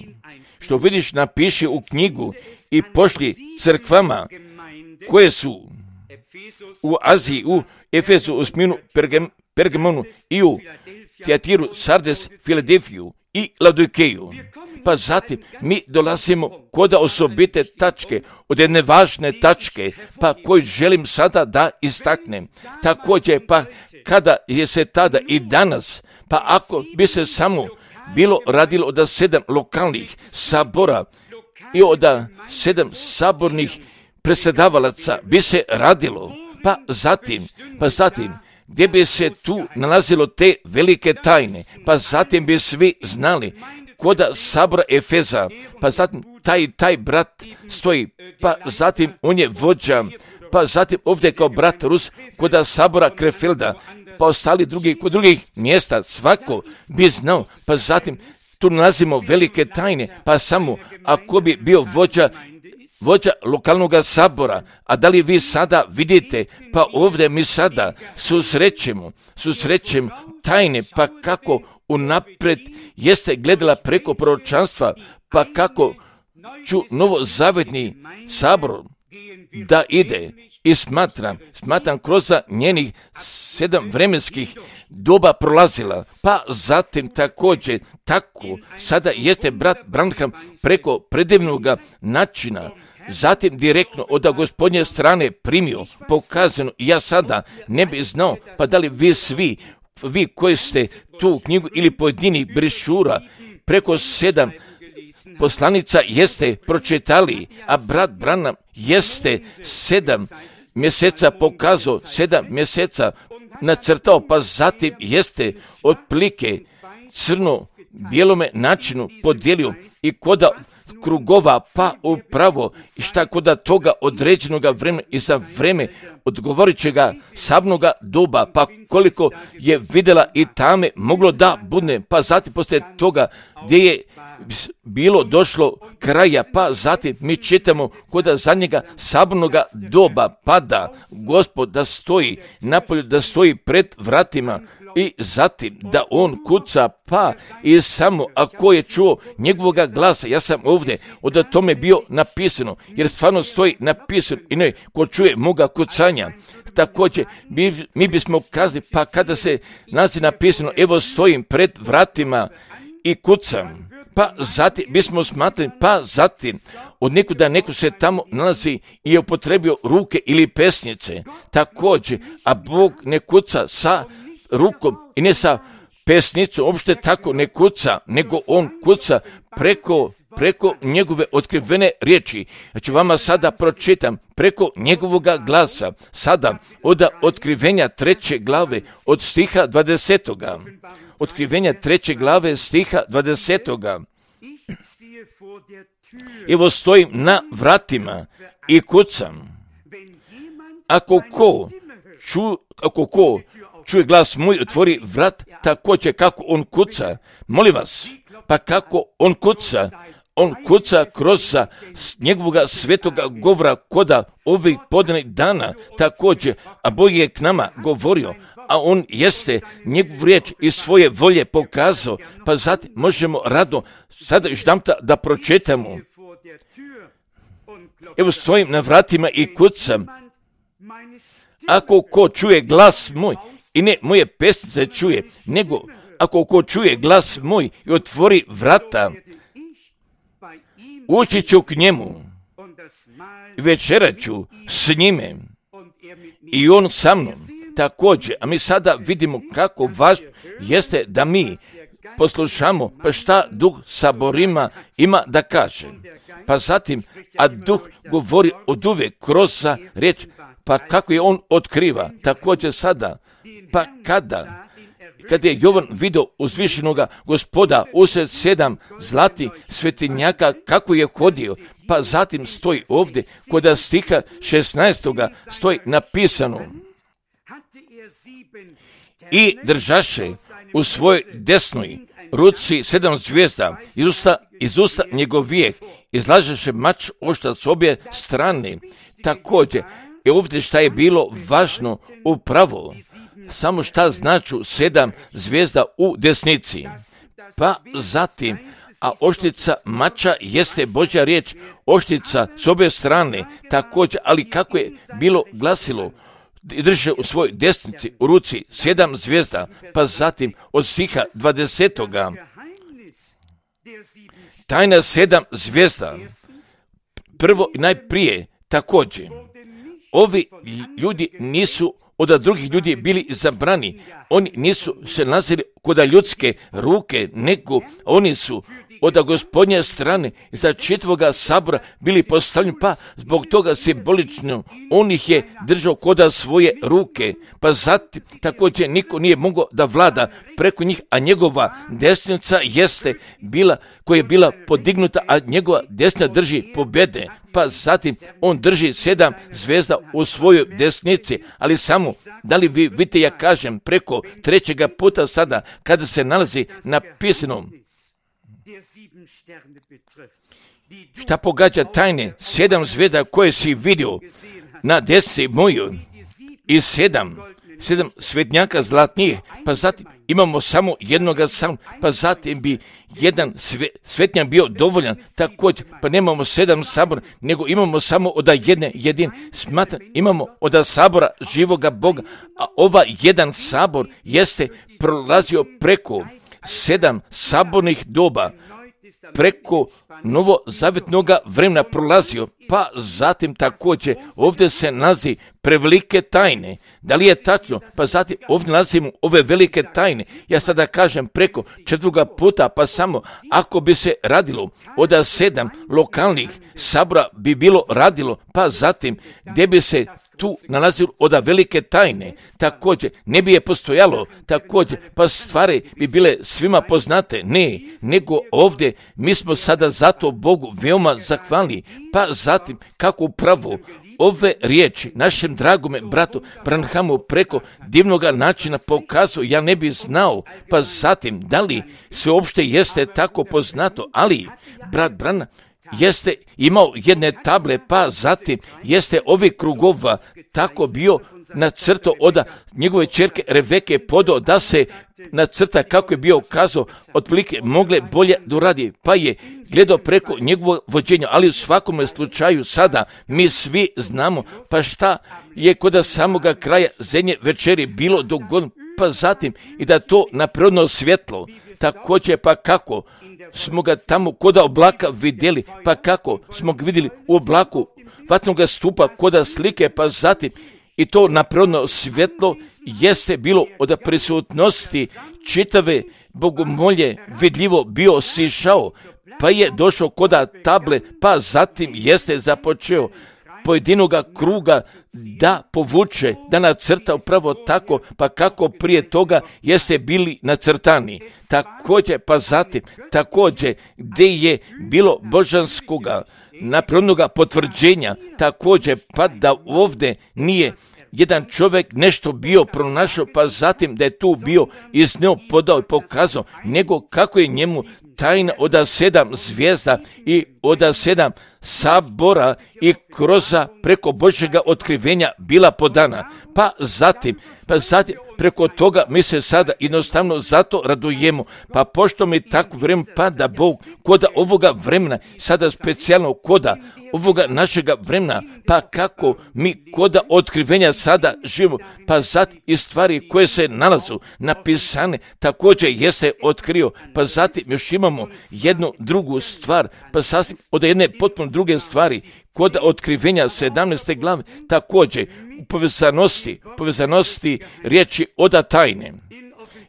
što vidiš napiši u knjigu i pošli crkvama koje su u Aziji, u Efesu, u Sminu, Pergam, Pergamonu i u Tijatiru, Sardes, Filadelfiju i Laodikeju. Pa zatim mi dolazimo kod osobite tačke, od jedne važne tačke, pa koju želim sada da istaknem. Također, pa kada je se tada i danas, pa ako bi se samo bilo radilo od sedam lokalnih sabora i od sedam sabornih predsjedavalaca bi se radilo, pa zatim, pa zatim, gdje bi se tu nalazilo te velike tajne, pa zatim bi svi znali kod sabora Efeza, pa zatim taj, taj brat stoji, pa zatim on je vođa, pa zatim ovdje kao brat Rus kod sabora Krefelda, pa ostali drugi, kod drugih mjesta, svako bi znao, pa zatim tu nalazimo velike tajne, pa samo ako bi bio vođa vođa lokalnog sabora, a da li vi sada vidite, pa ovdje mi sada susrećemo, susrećemo tajne, pa kako unaprijed jeste gledala preko proročanstva, pa kako ću novozavetni sabor da ide i smatram, smatram kroz njenih sedam vremenskih doba prolazila, pa zatim također tako sada jeste brat Branham preko predivnog načina, zatim direktno od Gospodnje strane primio, pokazano, ja sada ne bi znao, pa da li vi svi, vi koji ste tu knjigu ili pojedinih brišura preko sedam poslanica jeste pročitali, a brat Branham jeste sedam mjeseca pokazao, sedam mjeseca nacrtao, pa zatim jeste otplike crno bijelome načinu podijelio i koda krugova pa upravo i šta koda toga određenog vremena i za vreme odgovorićega sabnoga doba, pa koliko je vidjela i tame moglo da bude, pa zatim poslije toga gdje je bilo došlo kraja, pa zatim mi čitamo koda zadnjega sabnoga doba pada Gospod da stoji napolju, da stoji pred vratima i zatim da on kuca, pa i samo ako je čuo njegovoga glasa, ja sam ovdje od tome bio napisano, jer stvarno stoji napisano i ne ko čuje moga kucanja. Također mi, mi bismo kazali, pa kada se nalazi napisano evo stojim pred vratima i kucam, pa zatim bismo smatrali, pa zatim od nekuda neko se tamo nalazi i je upotrebio ruke ili pesnice, također, a Bog ne kuca sa rukom i ne sa pesnicom, uopšte tako ne kuca, nego on kuca preko, preko njegove otkrivene riječi. Ja ću vama sada pročitam preko njegovoga glasa, sada od otkrivenja treće glave od stiha dvadesetoga. Otkrivenja treće glave stiha dvadesetoga. Evo stojim na vratima i kucam. Ako ko, ču, ako ko čuje glas moj, otvori vrat, također kako on kuca. Molim vas, pa kako on kuca? On kuca kroz njegovoga svetoga govora koda ovih podanih dana također, a Bog je k nama govorio, a on jeste njegovu riječ iz svoje volje pokazao, pa zatim možemo rado sada još damta da pročitamo. Evo stojim na vratima i kucam. Ako ko čuje glas moj, i ne moje pesnice čuje, nego ako ko čuje glas moj i otvori vrata, ući ću k njemu, večerat ću s njime i on sa mnom. Također, a mi sada vidimo kako važno jeste da mi poslušamo pa šta Duh saborima ima da kaže. Pa zatim, a Duh govori od uvijek kroz riječ, pa kako je on otkriva. Također sada, pa kada, kada je Jovan vidio uzvišenoga Gospoda usred sedam zlatih svetinjaka kako je hodio, pa zatim stoji ovdje kod stiha šesnaestoga stoji napisano: i držaše u svojoj desnoj ruci sedam zvijezda, iz usta, iz usta njegovijeh izlažeše mač oštrac s obje strane. Također, i ovdje šta je bilo važno upravo, samo šta značu sedam zvijezda u desnici. Pa zatim, a oštrica mača jeste Božja riječ, oštrica s obje strane, također, ali kako je bilo glasilo, drže u svojoj desnici u ruci sedam zvijezda, pa zatim od stiha dvadesetoga. Tajna sedam zvijezda, prvo i najprije, također, ovi ljudi nisu od drugih ljudi bili zabrani, oni nisu se nalazili kod ljudske ruke, nego oni su od Gospodnje strane za čitavoga sabora bili postavljeni, pa zbog toga simbolično on ih je držao kod svoje ruke, pa zatim također niko nije mogao da vlada preko njih, a njegova desnica jeste bila, koja je bila podignuta, a njegova desna drži pobjede, pa zatim on drži sedam zvezda u svojoj desnici, ali samo, da li vi vidite, ja kažem, preko trećega puta sada, kada se nalazi napisano Šta pogađa tajne sedam zvijezda koje si vidio na desi moju i sedam, sedam svetnjaka zlatnih, pa zatim imamo samo jednoga sam, pa zatim bi jedan sve, svetnjak bio dovoljan, također, pa nemamo sedam sabora, nego imamo samo od jedne jedin, smatra, imamo od sabora živoga Boga, a ova jedan sabor jeste prolazio preko sedam sabornih doba, preko novozavjetnoga vremena prolazio, pa zatim također ovdje se nalazi prevelike tajne. Da li je tačno? Pa zatim ovdje nalazimo ove velike tajne. Ja sada kažem preko četvrtoga puta, pa samo ako bi se radilo od sedam lokalnih sabora bi bilo radilo, pa zatim gdje bi se tu nalazilo od velike tajne, također ne bi je postojalo, također pa stvari bi bile svima poznate, ne, nego ovdje mi smo sada zato Bogu veoma zahvalni, pa zatim kako upravo ove riječi našem dragome bratu Branhamu preko divnoga načina pokazuje, ja ne bi znao, pa zatim da li sve uopšte jeste tako poznato, ali brat Branham jeste imao jedne table, pa zatim jeste ovi krugova tako bio nacrtao od njegove ćerke Reveke podao da se nacrta kako je bio kazao, otprilike mogle bolje da uradi, pa je gledao preko njegovog vođenja, ali u svakom slučaju sada mi svi znamo, pa šta je kod samoga kraja zadnje večeri bilo dogodno, pa zatim i da to napredno svjetlo, također pa kako smo ga tamo kod oblaka vidjeli, pa kako smo ga vidjeli u oblaku vatnoga stupa kod slike, pa zatim i to napredno svjetlo jeste bilo od prisutnosti čitave bogomolje vidljivo bio sišao, pa je došao kod table, pa zatim jeste započeo pojedinoga kruga da povuče, da nacrta upravo tako, pa kako prije toga jeste bili nacrtani. Također, pa zatim, također, gdje je bilo božanskoga naprednoga potvrđenja, također, pa da ovdje nije jedan čovjek nešto bio pronašao, pa zatim da je tu bio iz njega podao i pokazao, nego kako je njemu tajna od sedam zvijezda i od sedam sabora i kroz preko Božjega otkrivenja bila podana. Pa zatim, pa zatim preko toga mi se sada jednostavno zato radujemo. Pa pošto mi tako vrijeme pada Bog koda ovoga vremena, sada specijalno koda ovoga našega vremena, pa kako mi koda otkrivenja sada živimo, pa zatim i stvari koje se nalazu napisane također jeste otkrio, pa zatim još imamo jednu drugu stvar, pa sasvim od jedne potpuno druge stvari, kod otkrivenja sedamnaeste glave također u povezanosti, povezanosti riječi oda tajne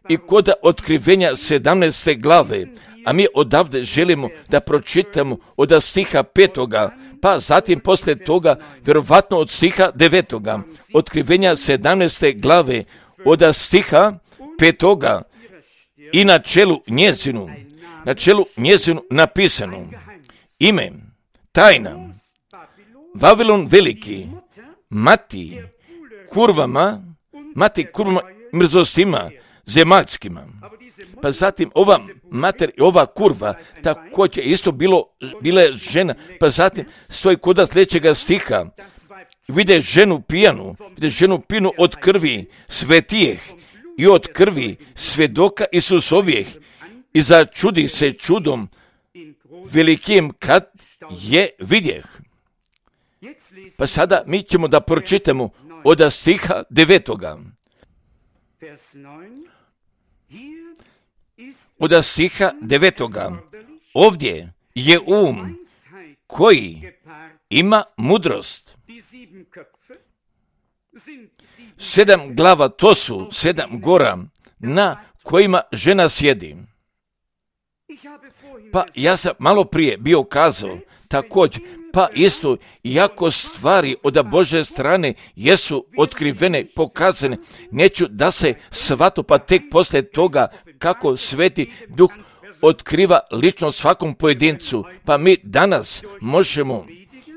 i kod otkrivenja sedamnaeste glave, a mi odavde želimo da pročitamo od stiha petoga, pa zatim poslije toga vjerovatno od stiha devetoga, otkrivenja sedamnaeste glave od stiha petoga i na čelu njezinu, na čelu njezinu napisano ime, tajna, Vavilon veliki, mati kurvama, mati kurvama mrzostima zemaljskima. Pa zatim ova mater i ova kurva također isto bilo, bila je žena, pa zatim stoji kod sljedećega stiha, vide ženu pijanu, vide ženu pijanu od krvi svetijeh i od krvi svedoka Isusovijeh i začudi se čudom velikim kad je vidjeh. Pa sada mi ćemo da pročitamo od stiha devetoga. Od stiha devetoga. Ovdje je um koji ima mudrost. Sedam glava, to su sedam gora na kojima žena sjedi. Pa ja sam malo prije bio kazao također, pa isto, iako stvari od Božje strane jesu otkrivene, pokazane, neću da se svato, pa tek poslije toga kako Sveti Duh otkriva lično svakom pojedincu, pa mi danas možemo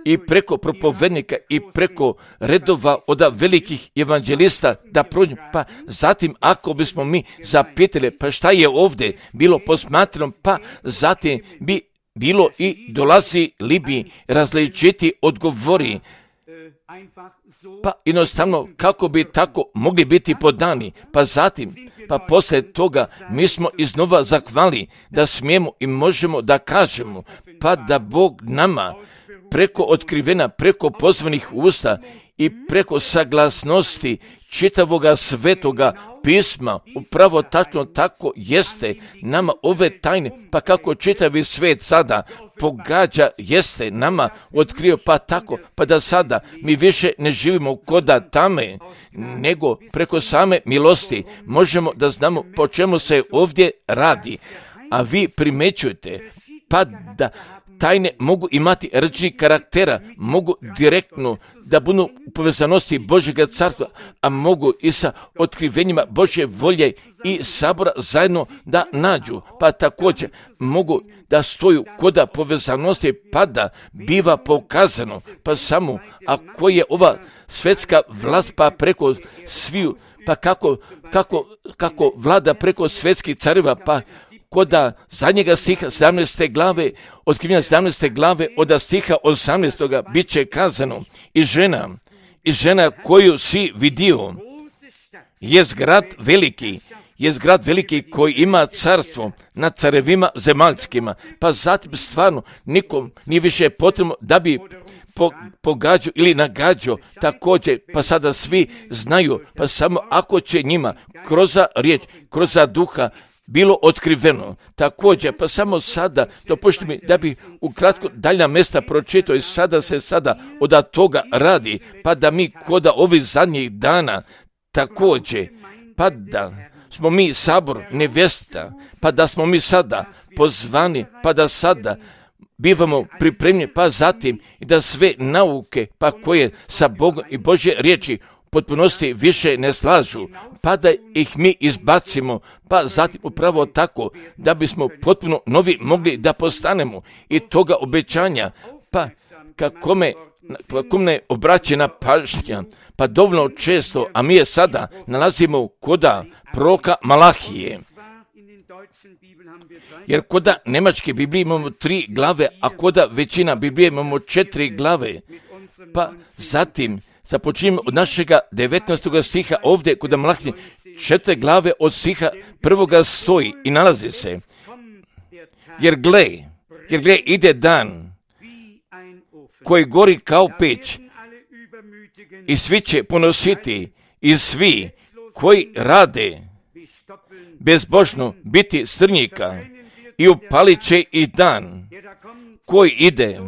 i preko propovednika i preko redova od velikih evanđelista da prođemo. Pa zatim ako bismo mi zapitali pa šta je ovdje bilo posmatrano, pa zatim bi bilo i dolazi li bi različiti odgovori. Pa jednostavno kako bi tako mogli biti podani, pa zatim, pa poslije toga mi smo iznova zahvali da smijemo i možemo da kažemo, pa da Bog nama preko otkrivena, preko pozvanih usta i preko saglasnosti čitavoga svetoga pisma, upravo tačno tako jeste nama ove tajne, pa kako čitavi svet sada pogađa, jeste nama otkrio, pa tako, pa da sada mi više ne živimo koda tame, nego preko same milosti možemo da znamo po čemu se ovdje radi. A vi primećujete, pa da tajne mogu imati različitih karaktera, mogu direktno da budu u povezanosti Božjega carstva, a mogu i sa otkrivenjima Božje volje i sabora zajedno da nađu, pa također mogu da stoju koda povezanosti, pa da biva pokazano, pa samo ako je ova svetska vlast pa preko sviju, pa kako, kako, kako vlada preko svetskih careva, pa koda zadnjega stiha sedamnaeste glave, otkrivanja sedamnaeste glave od stiha osamnaestoga bit će kazano i žena, i žena koju si vidio je grad veliki, je grad veliki koji ima carstvo nad carevima zemaljskima, pa zatim stvarno nikom nije više potrebno da bi po, pogađao ili nagađao također, pa sada svi znaju, pa samo ako će njima kroz riječ, kroz duha bilo otkriveno. Također, pa samo sada, dopušti mi da bi ukratko dalja mjesta pročitao i sada se sada od toga radi, pa da mi koda ovih zadnjih dana također, pa da smo mi sabor nevjesta, pa da smo mi sada pozvani, pa da sada bivamo pripremljeni, pa zatim i da sve nauke, pa koje sa Bogom i Božje riječi potpunosti više ne slažu, pa da ih mi izbacimo, pa zatim upravo tako da bismo potpuno novi mogli da postanemo i toga obećanja, pa kako me, kako me obraćena pažnja, pa dovoljno često, a mi je sada nalazimo koda proroka Malahije. Jer koda nemačke Biblije imamo tri glave, a koda većina Biblije imamo četiri glave, pa zatim započinjemo od našega devetnaestog stiha ovdje kod Malahije, četiri glave od stiha prvoga stoji i nalazi se. Jer gle, jer gle ide dan koji gori kao peć i svi će ponositi i svi koji rade bezbožno biti strnjika i upalit će i dan koji ide,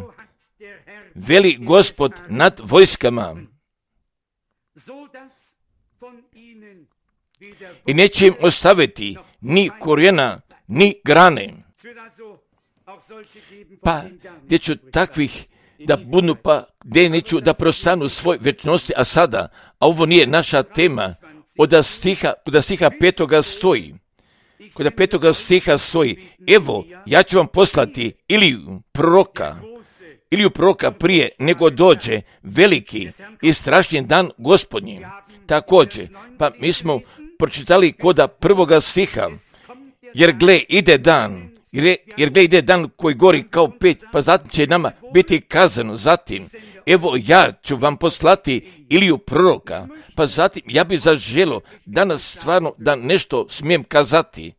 veli Gospod nad vojskama, i neće im ostaviti ni korijena, ni grane. Pa gdje ću takvih da budu, pa gdje neću da prostanu svoj večnosti, a sada, a ovo nije naša tema, od stiha, od stiha petoga stoji, kod petoga stiha stoji, evo, ja ću vam poslati Iliju proroka, Iliju proroka prije nego dođe veliki i strašni dan Gospodnji. Također, pa mi smo pročitali koda prvoga stiha, jer gle ide dan, jer, jer gle ide dan koji gori kao peć, pa zatim će nama biti kazano, zatim, evo ja ću vam poslati Iliju proroka, pa zatim ja bi zaželo danas stvarno da nešto smijem kazati.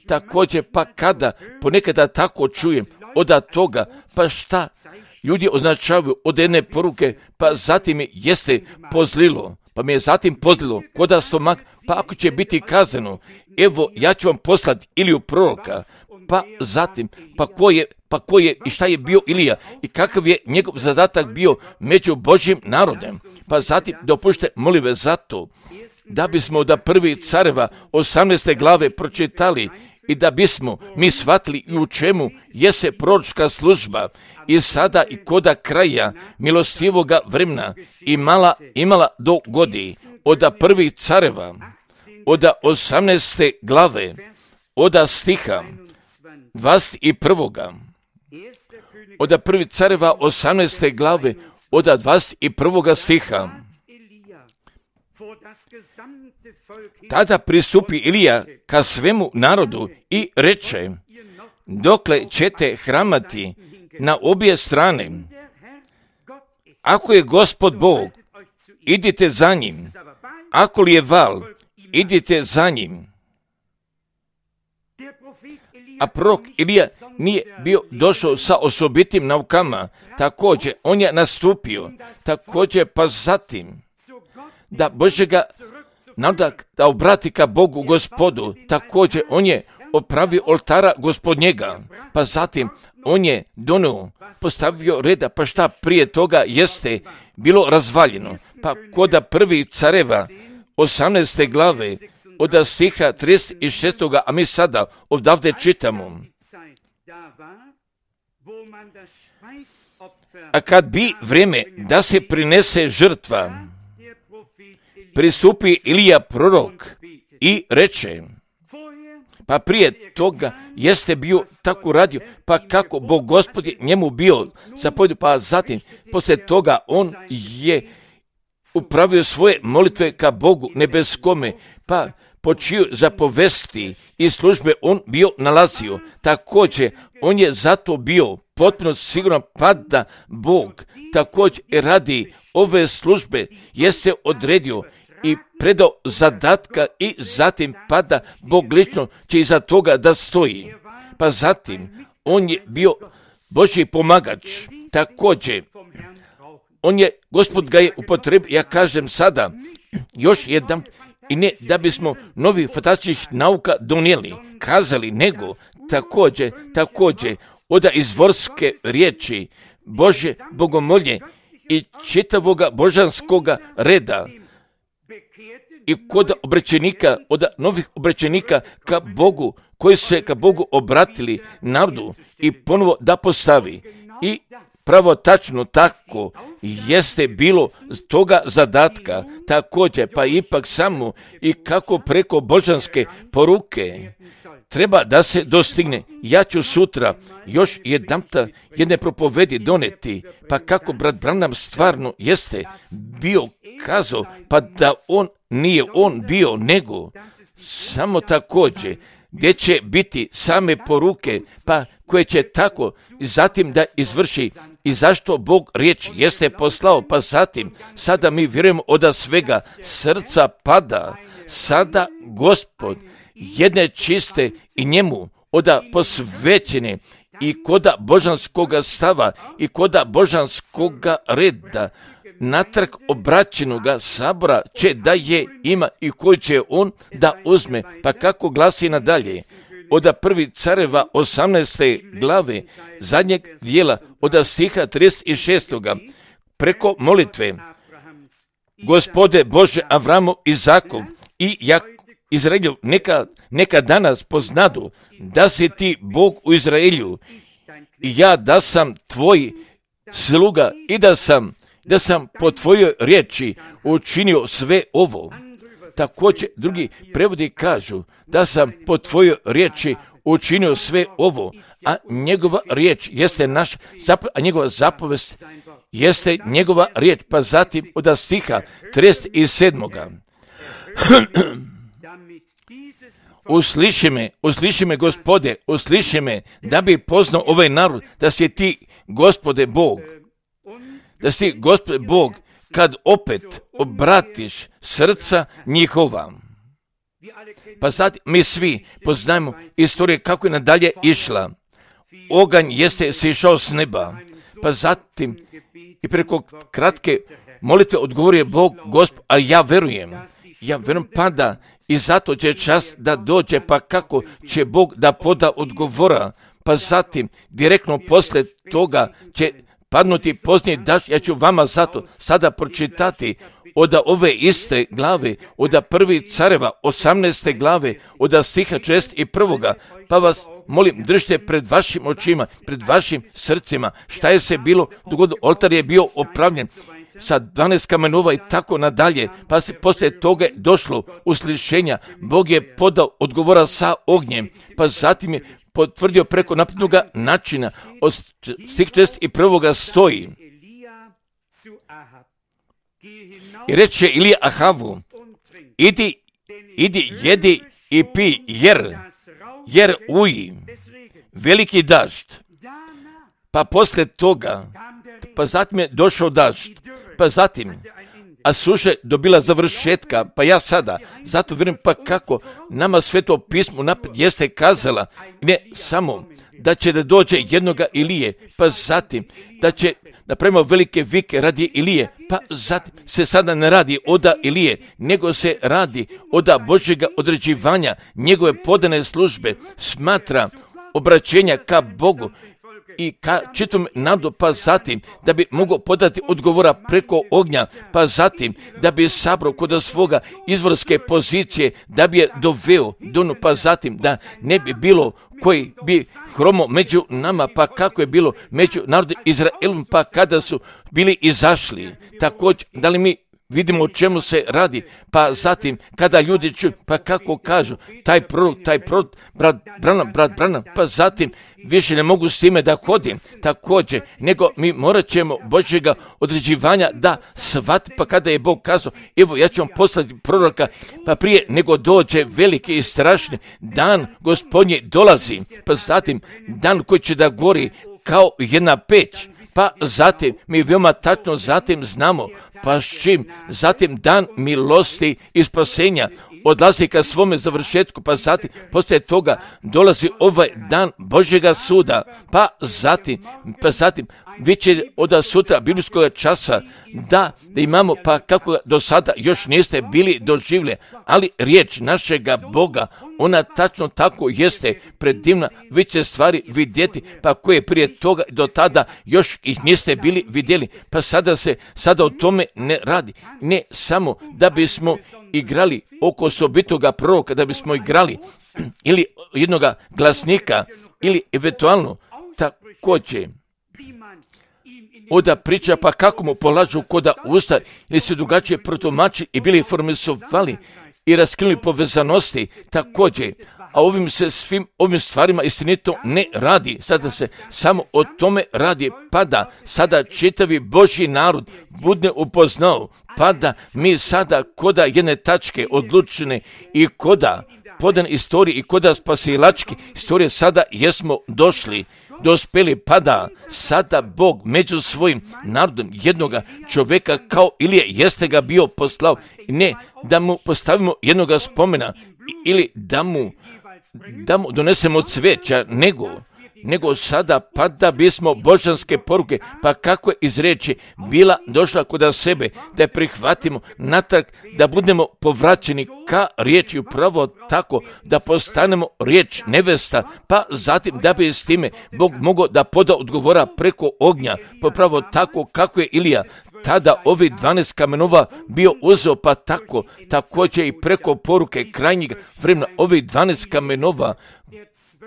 Također, pa kada ponekada tako čujem od toga, pa šta ljudi označavaju od jedne poruke, pa zatim mi jeste pozlilo, pa mi je zatim pozlilo koda stomak, pa ako će biti kazano, evo ja ću vam poslati Iliju proroka, pa zatim, pa ko je, pa ko je i šta je bio Ilija i kakav je njegov zadatak bio među Božjim narodem, pa zatim dopušte molive zato, da bismo da prvi careva osamnaeste glave pročitali i da bismo mi shvatili i u čemu jese proročka služba i sada i koda kraja milostivoga vremena imala, imala do godi od prvih careva, od osamnaeste glave, od stiha dvadeset prvog. od prvi careva osamnaeste glave, od dvadeset prvog stiha. Tada pristupi Ilija ka svemu narodu i reče: dokle ćete hramati na obje strane? Ako je Gospod Bog, idite za njim. Ako li je Val, idite za njim. A prorok Ilija nije bio došao sa osobitim naukama. Također, on je nastupio. Također, pa zatim, da Božega naroda da obrati ka Bogu Gospodu. Također, on je opravio oltara Gospodnjega. Pa zatim, on je donio, postavio reda, pa šta prije toga jeste bilo razvaljeno. Pa koda prvi careva, osamnaeste glave, od stiha trideset šest. A mi sada odavde čitamo: a kad bi vrijeme da se prinese žrtva, pristupi Ilija prorok i reče, pa prije toga jeste bio tako radio, pa kako Bog Gospod je njemu bio zapovjedio, pa zatim poslije toga on je upravio svoje molitve ka Bogu nebeskome, pa po čiju zapovesti i službe on bio nalazio. Također, on je zato bio potpuno siguran pa da Bog također radi ove službe jeste odredio i predao zadatka i zatim pa da Bog lično će iza toga da stoji. Pa zatim, on je bio Božji pomagač. Također, on je, Gospod ga je upotrebio, ja kažem sada, još jedan, i ne da bismo novi fantastičnih nauka donijeli, kazali, nego također, također, od izvorske riječi Božje bogomolje i čitavoga božanskoga reda i kod obraćenika, od novih obraćenika ka Bogu, koji su se ka Bogu obratili narodu i ponovo da postavi. I pravo tačno tako jeste bilo toga zadatka, također pa ipak samo i kako preko božanske poruke treba da se dostigne. Ja ću sutra još jedanput jedne propovedi doneti, pa kako brat Branham stvarno jeste bio kazao, pa da on nije on bio, nego samo također gdje će biti same poruke, pa koje će tako zatim da izvrši i zašto Bog riječ jeste poslao, pa zatim sada mi vjerujemo od svega srca pada, sada Gospod jedne čiste i njemu oda posvećene i koda božanskoga stava i koda božanskoga reda natrag obraćenoga sabora će da je ima i koji će on da uzme, pa kako glasi nadalje od prvi careva osamnaeste glave zadnjeg dijela od stiha trideset šest. Preko molitve: Gospode Bože Avramu, Izaku i Jak Izraelju, neka, neka danas poznadu da si ti Bog u Izraelju i ja da sam tvoj sluga i da sam da sam po tvojoj riječi učinio sve ovo. Također drugi prevodi kažu da sam po tvojoj riječi učinio sve ovo, a njegova riječ jeste naš, a njegova zapovest jeste njegova riječ, pa zatim od stiha trideset sedam. Usliši me, usliši me Gospode, usliši me, da bi poznao ovaj narod, da si ti Gospode Bog, da si Gospode Bog, kad opet obratiš srca njihova. Pa sad mi svi poznajemo istoriju kako je nadalje išla. Oganj jeste sišao s neba, pa zatim i preko kratke molitve odgovorio Bog, Gospod, a ja verujem, ja verujem pa da i zato će čas da dođe, pa kako će Bog da poda odgovora, pa zatim direktno poslije toga će padnuti poznije daš, ja ću vama zato sada pročitati od ove iste glave, od prvi careva, osamnaeste glave, od stiha šezdeset jedan. Pa vas molim, držite pred vašim očima, pred vašim srcima, šta je se bilo dogodilo, oltar je bio opravljen sa dvanaest kamenova i tako nadalje, pa se poslije toga došlo uslišenja, Bog je podao odgovora sa ognjem, pa zatim je potvrdio preko napisanog načina. Od stih četrdeset prvoga stoji. I reče Ilija Ahavu, idi, idi, jedi i pi, jer, jer uji veliki dažd. Pa poslije toga, pa zatim je došao dažd, pa zatim, a suša dobila završetka, pa ja sada, zato vjerujem pa kako nama Sveto pismo naprijed jeste kazala, ne samo da će da dođe jednoga Ilije, pa zatim da će napravimo velike vike radi Ilije, pa zatim se sada ne radi oda Ilije, nego se radi oda Božjega određivanja, njegove podane službe, smatra obraćenja ka Bogu i ka čitom narodu, pa zatim da bi mogao podati odgovora preko ognja, pa zatim da bi sabrao kod svoga izvorske pozicije, da bi je doveo do, pa zatim da ne bi bilo koji bi hromo među nama, pa kako je bilo među narodom Izraelom, pa kada su bili izašli. Također, da li mi vidimo o čemu se radi, pa zatim kada ljudi čuju, pa kako kažu, taj prorok, taj prorok, brat Branham, brat Branham, pa zatim više ne mogu s time da hodim, također, nego mi morat ćemo Božjega određivanja da shvati, pa kada je Bog kazao, evo ja ću vam poslati proroka, pa prije nego dođe veliki i strašni dan Gospodnji dolazi, pa zatim dan koji će da gori kao jedna peć, pa zatim mi veoma tačno zatim znamo, pa s čim, zatim dan milosti i spasenja odlazi ka svome završetku, pa zatim poslije toga dolazi ovaj dan Božjega suda, pa zatim, pa zatim već od sutra biblijskog časa da, da imamo, pa kako do sada još niste bili doživjeli, ali riječ našega Boga, ona tačno tako jeste predivna, vi će stvari vidjeti, pa koje prije toga do tada još ih niste bili vidjeli, pa sada se, sada o tome ne radi, ne samo da bismo igrali oko osobitoga proroka, da bismo igrali ili jednoga glasnika, ili eventualno također oda priča, pa kako mu polažu koda usta, ili se drugačije protumači i bili formisovali i raskinuli povezanosti također, a ovim se svim ovim stvarima istinito ne radi, sada se samo o tome radi, pa da sada čitavi Božji narod bude upoznao, pa da mi sada koda jedne tačke odlučene i koda podan istoriji i koda spasilački istorije sada jesmo došli, dospeli, pa da sada Bog među svojim narodom jednoga čovjeka kao Ilije jeste ga bio poslao, ne da mu postavimo jednoga spomena ili da mu, da mu donesemo cveća, nego nego sada pa da bismo božanske poruke, pa kako je iz riječi bila došla kod sebe, da je prihvatimo natrag, da budemo povraćeni ka riječi, upravo tako da postanemo riječ nevesta, pa zatim da bi s time Bog mogao da poda odgovora preko ognja, pa pravo tako kako je Ilija tada ovi dvanaest kamenova bio uzeo, pa tako također i preko poruke krajnjeg vremena ovi dvanaest kamenova,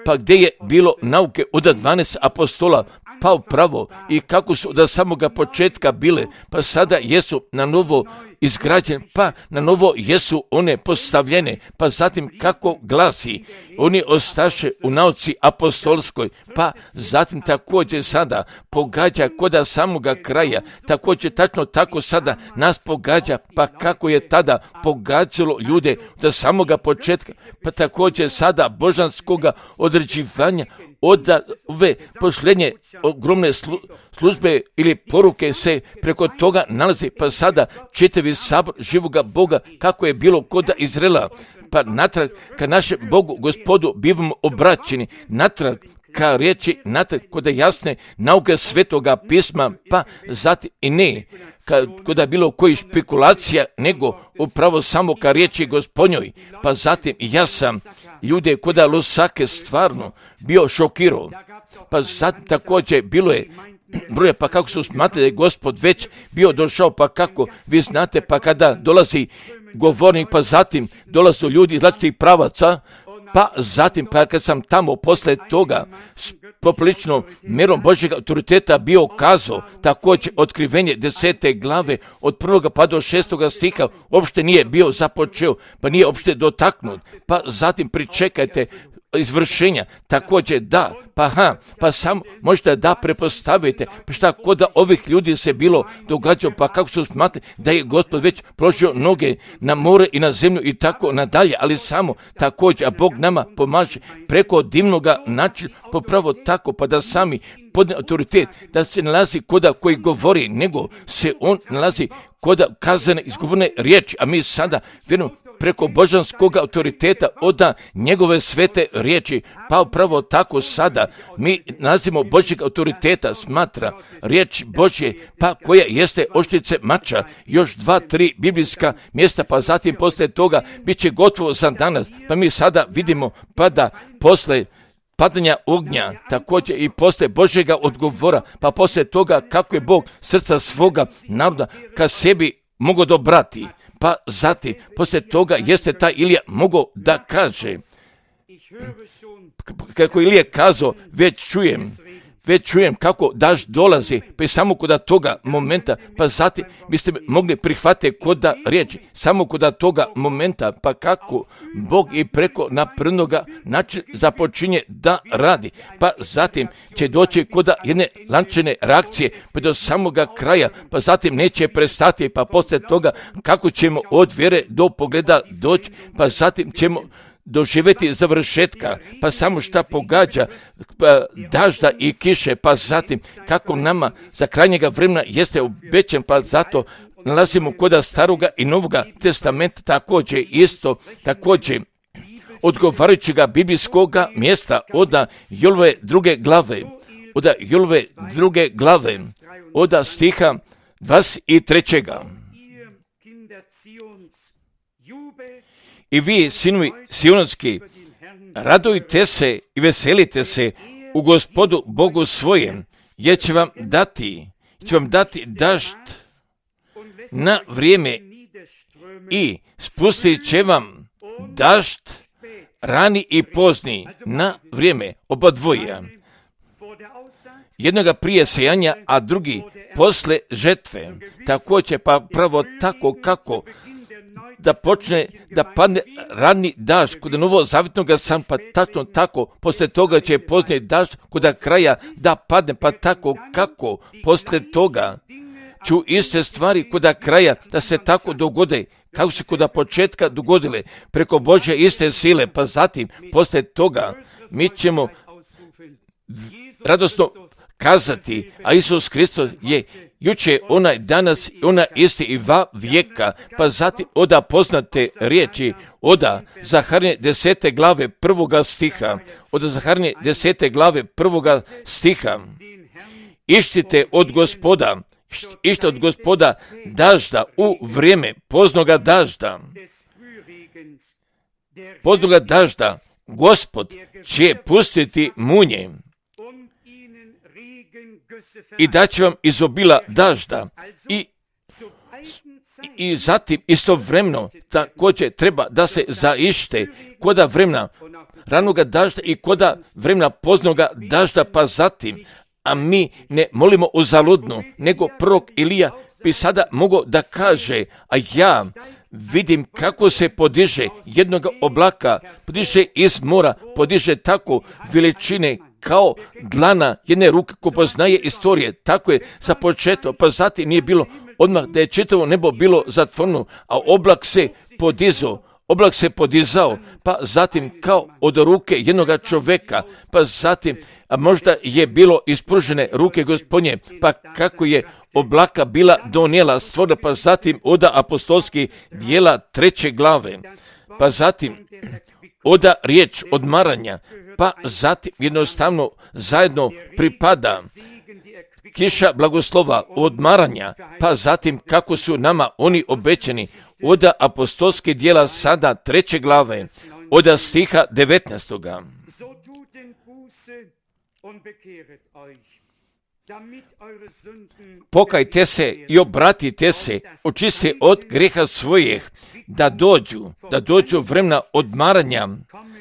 pa gdje je bilo nauke od dvanaest apostola, pa upravo i kako su od samoga početka bile, pa sada jesu na novo izgrađene, pa na novo jesu one postavljene, pa zatim kako glasi, oni ostaše u nauci apostolskoj, pa zatim također sada pogađa koda samoga kraja, također tačno tako sada nas pogađa, pa kako je tada pogađalo ljude od samoga početka, pa također sada božanskoga određivanja, od ove posljednje ogromne slu, službe ili poruke se preko toga nalazi, pa sada čitavi sabor živoga Boga kako je bilo kod Izraela, pa natrag ka našem Bogu Gospodu bivamo obraćeni, natrag ka riječi, natrag kod jasne nauke Svetoga pisma, pa zatim i ne kod je bilo koji špekulacija, nego upravo samo ka riječi Gospodnjoj, pa zatim ja sam ljude kod Lusake stvarno bio šokirao, pa zatim također bilo je broje, pa kako su smatrali da je Gospod već bio došao, pa kako vi znate, pa kada dolazi govornik, pa zatim dolaze ljudi iz različitih pravaca, pa zatim, pa kad sam tamo posle toga poprilično mjerom Božjeg autoriteta bio kazao, također otkrivenje desete glave od prvoga pa do šestoga stiha uopšte nije bio započeo, pa nije uopšte dotaknut, pa zatim pričekajte, izvršenja. Također da, pa ha, pa sam možda da prepostavite, pa šta kod da ovih ljudi se bilo događalo, pa kako su smatrali da je Gospod već položio noge na more i na zemlju i tako nadalje, ali samo također, a Bog nama pomaže preko divnoga načina, popravo tako, pa da sami podne autoritet, da se nalazi koda koji govori, nego se on nalazi koda kazane izgovorne riječi, a mi sada vjerujemo preko božanskog autoriteta oda njegove svete riječi, pa upravo tako sada mi nalazimo Božjeg autoriteta, smatra riječ Božje, pa koja jeste oštrice mača, još dva, tri biblijska mjesta, pa zatim poslije toga bit će gotovo za danas, pa mi sada vidimo pa da posle padanja ognja, također i poslije Božjega odgovora, pa poslije toga kako je Bog srca svoga naroda ka sebi mogao dobrati, pa zatim poslije toga jeste taj Ilija mogao da kaže, kako Ilija kazao, već čujem, već čujem kako dažd dolazi, pa i samo kod toga momenta, pa zatim biste mogli prihvatiti kod riječi, samo kod toga momenta, pa kako Bog i preko naprnoga način započinje da radi, pa zatim će doći kod jedne lančane reakcije, pa do samoga kraja, pa zatim neće prestati, pa poslije toga kako ćemo od vjere do pogleda doći, pa zatim ćemo doživjeti završetka, pa samo šta pogađa pa dažda i kiše, pa zatim kako nama za krajnjega vremena jeste obećan, pa zato nalazimo kod staroga i novoga testamenta također isto, također odgovarajućega biblijskoga mjesta od Jolove druge glave, od Jolove druge glave, od stiha dvadeset trećega. I vi, sinovi sionski, radujte se i veselite se u Gospodu Bogu svojem, jer će vam dati, će vam dati dažd na vrijeme i spustit će vam dažd rani i pozni na vrijeme, oba dvoja. Jednoga prije sejanja, a drugi posle žetve. Također pa pravo tako kako da počne da padne rani dažd kod novozavjetnog sam, pa tačno tako, poslije toga će poznije dažd kod kraja da padne, pa tako kako poslije toga ću iste stvari kod kraja da se tako dogode, kako se kod početka dogodile, preko Božje iste sile, pa zatim poslije toga mi ćemo radosno kazati, a Isus Hristos je juče onaj danas, ona isti i va vijeka, pa zatim oda poznate riječi, oda Zaharnje desete glave prvoga stiha, oda Zaharnje desete glave prvoga stiha, ištite od Gospoda, ište od Gospoda dažda u vrijeme poznoga dažda, poznoga dažda, Gospod će pustiti munje i daće vam izobila dažda i, i zatim istovremeno također treba da se zaište koda vremena ranoga dažda i koda vremena poznoga dažda, pa zatim, a mi ne molimo uzaludno, nego prorok Ilija bi sada mogao da kaže, a ja vidim kako se podiže jednog oblaka, podiže iz mora, podiže tako veličine kao dlana jedne ruke ko poznaje istorije, tako je započeto, pa zatim nije bilo odmah da je čitavo nebo bilo zatvoreno, a oblak se podizao, oblak se podizao, pa zatim kao od ruke jednog čovjeka, pa zatim a možda je bilo ispružene ruke Gospodnje, pa kako je oblaka bila donijela stvorila, pa zatim oda apostolski dijela treće glave, pa zatim oda riječ odmaranja, pa zatim jednostavno zajedno pripada kiša blagoslova odmaranja, pa zatim kako su nama oni obećani, oda apostolske dijela sada treće glave, oda stiha devetnaestoga. Pokajte se i obratite se, očiste od greha svojih, da dođu, da dođu vremena odmaranja,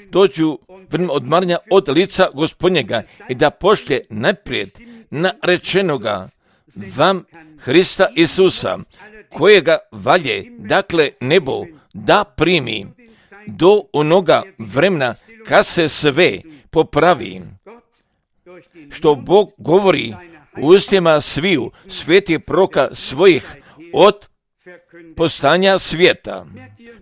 dođu vremena odmaranja od lica Gospodnjega i da pošlje naprijed narečenoga vam Hrista Isusa, kojega valje, dakle nebo, da primi do onoga vremena kad se sve popravi, što Bog govori u ustima sviju svetih proroka svojih od postanja svijeta.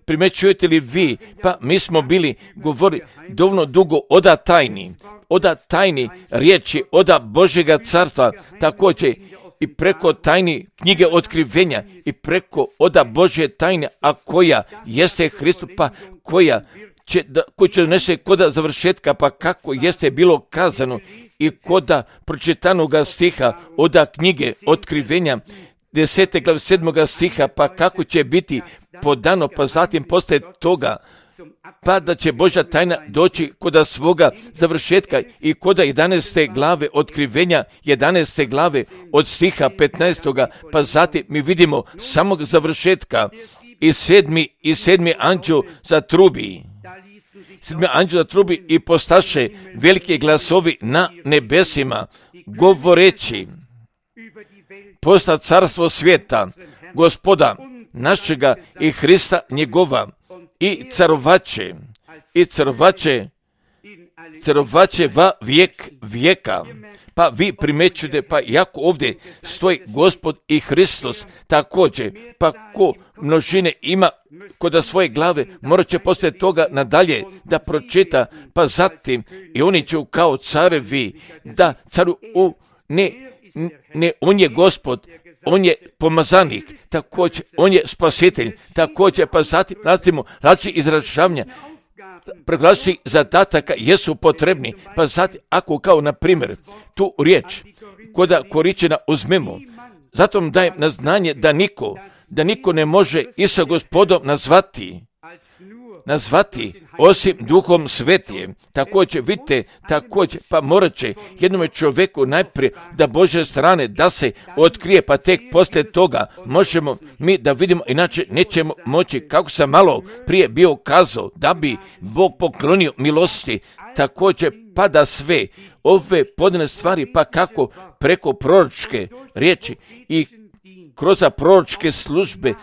Primećujete li vi? Pa mi smo bili govori dovoljno dugo oda tajni, oda tajni riječi, oda Božjega carstva, također i preko tajni knjige otkrivenja i preko oda Božje tajne, a koja jeste Hristos, pa koja će, da, koji će donese koda završetka, pa kako jeste bilo kazano i koda pročitanoga stiha oda knjige otkrivenja, desete glave sedmoga stiha, pa kako će biti podano, pa zatim poslije toga, pa da će Božja tajna doći koda svoga završetka i koda jedanaeste glave otkrivenja, jedanaeste glave od stiha petnaestoga, pa zatim mi vidimo samog završetka i sedmi, i sedmi anđeo zatrubi. Sedmi anđeo zatrubi i postaše velike glasovi na nebesima, govoreći: posta carstvo svijeta, Gospoda našega i Hrista njegova, i carovače, i carovače, carovače va vijek vijeka. Pa vi primećujete, pa jako ovdje stoji Gospod i Hristos također, pa ko množine ima kod svoje glave, morat će poslije toga nadalje da pročita, pa zatim i oni će kao carevi da caru u ne, ne, on je Gospod, on je pomazanik, također, on je spasitelj, također, pa zatim razlimo različitih izražavanja, preglasiti zadataka jesu potrebni, pa zatim, ako kao, na primjer, tu riječ, koda koričena uzmemo, zato vam dajem na znanje da niko, da niko ne može i sa Gospodom nazvati, nazvati osim Duhom Svetijem. Također, vidite, također, pa morat će jednome čovjeku najprije da Božje strane da se otkrije, pa tek poslije toga možemo mi da vidimo, inače nećemo moći, kako sam malo prije bio kazao, da bi Bog poklonio milosti, također pa da sve ove podane stvari, pa kako preko proročke riječi i kroz proročke službe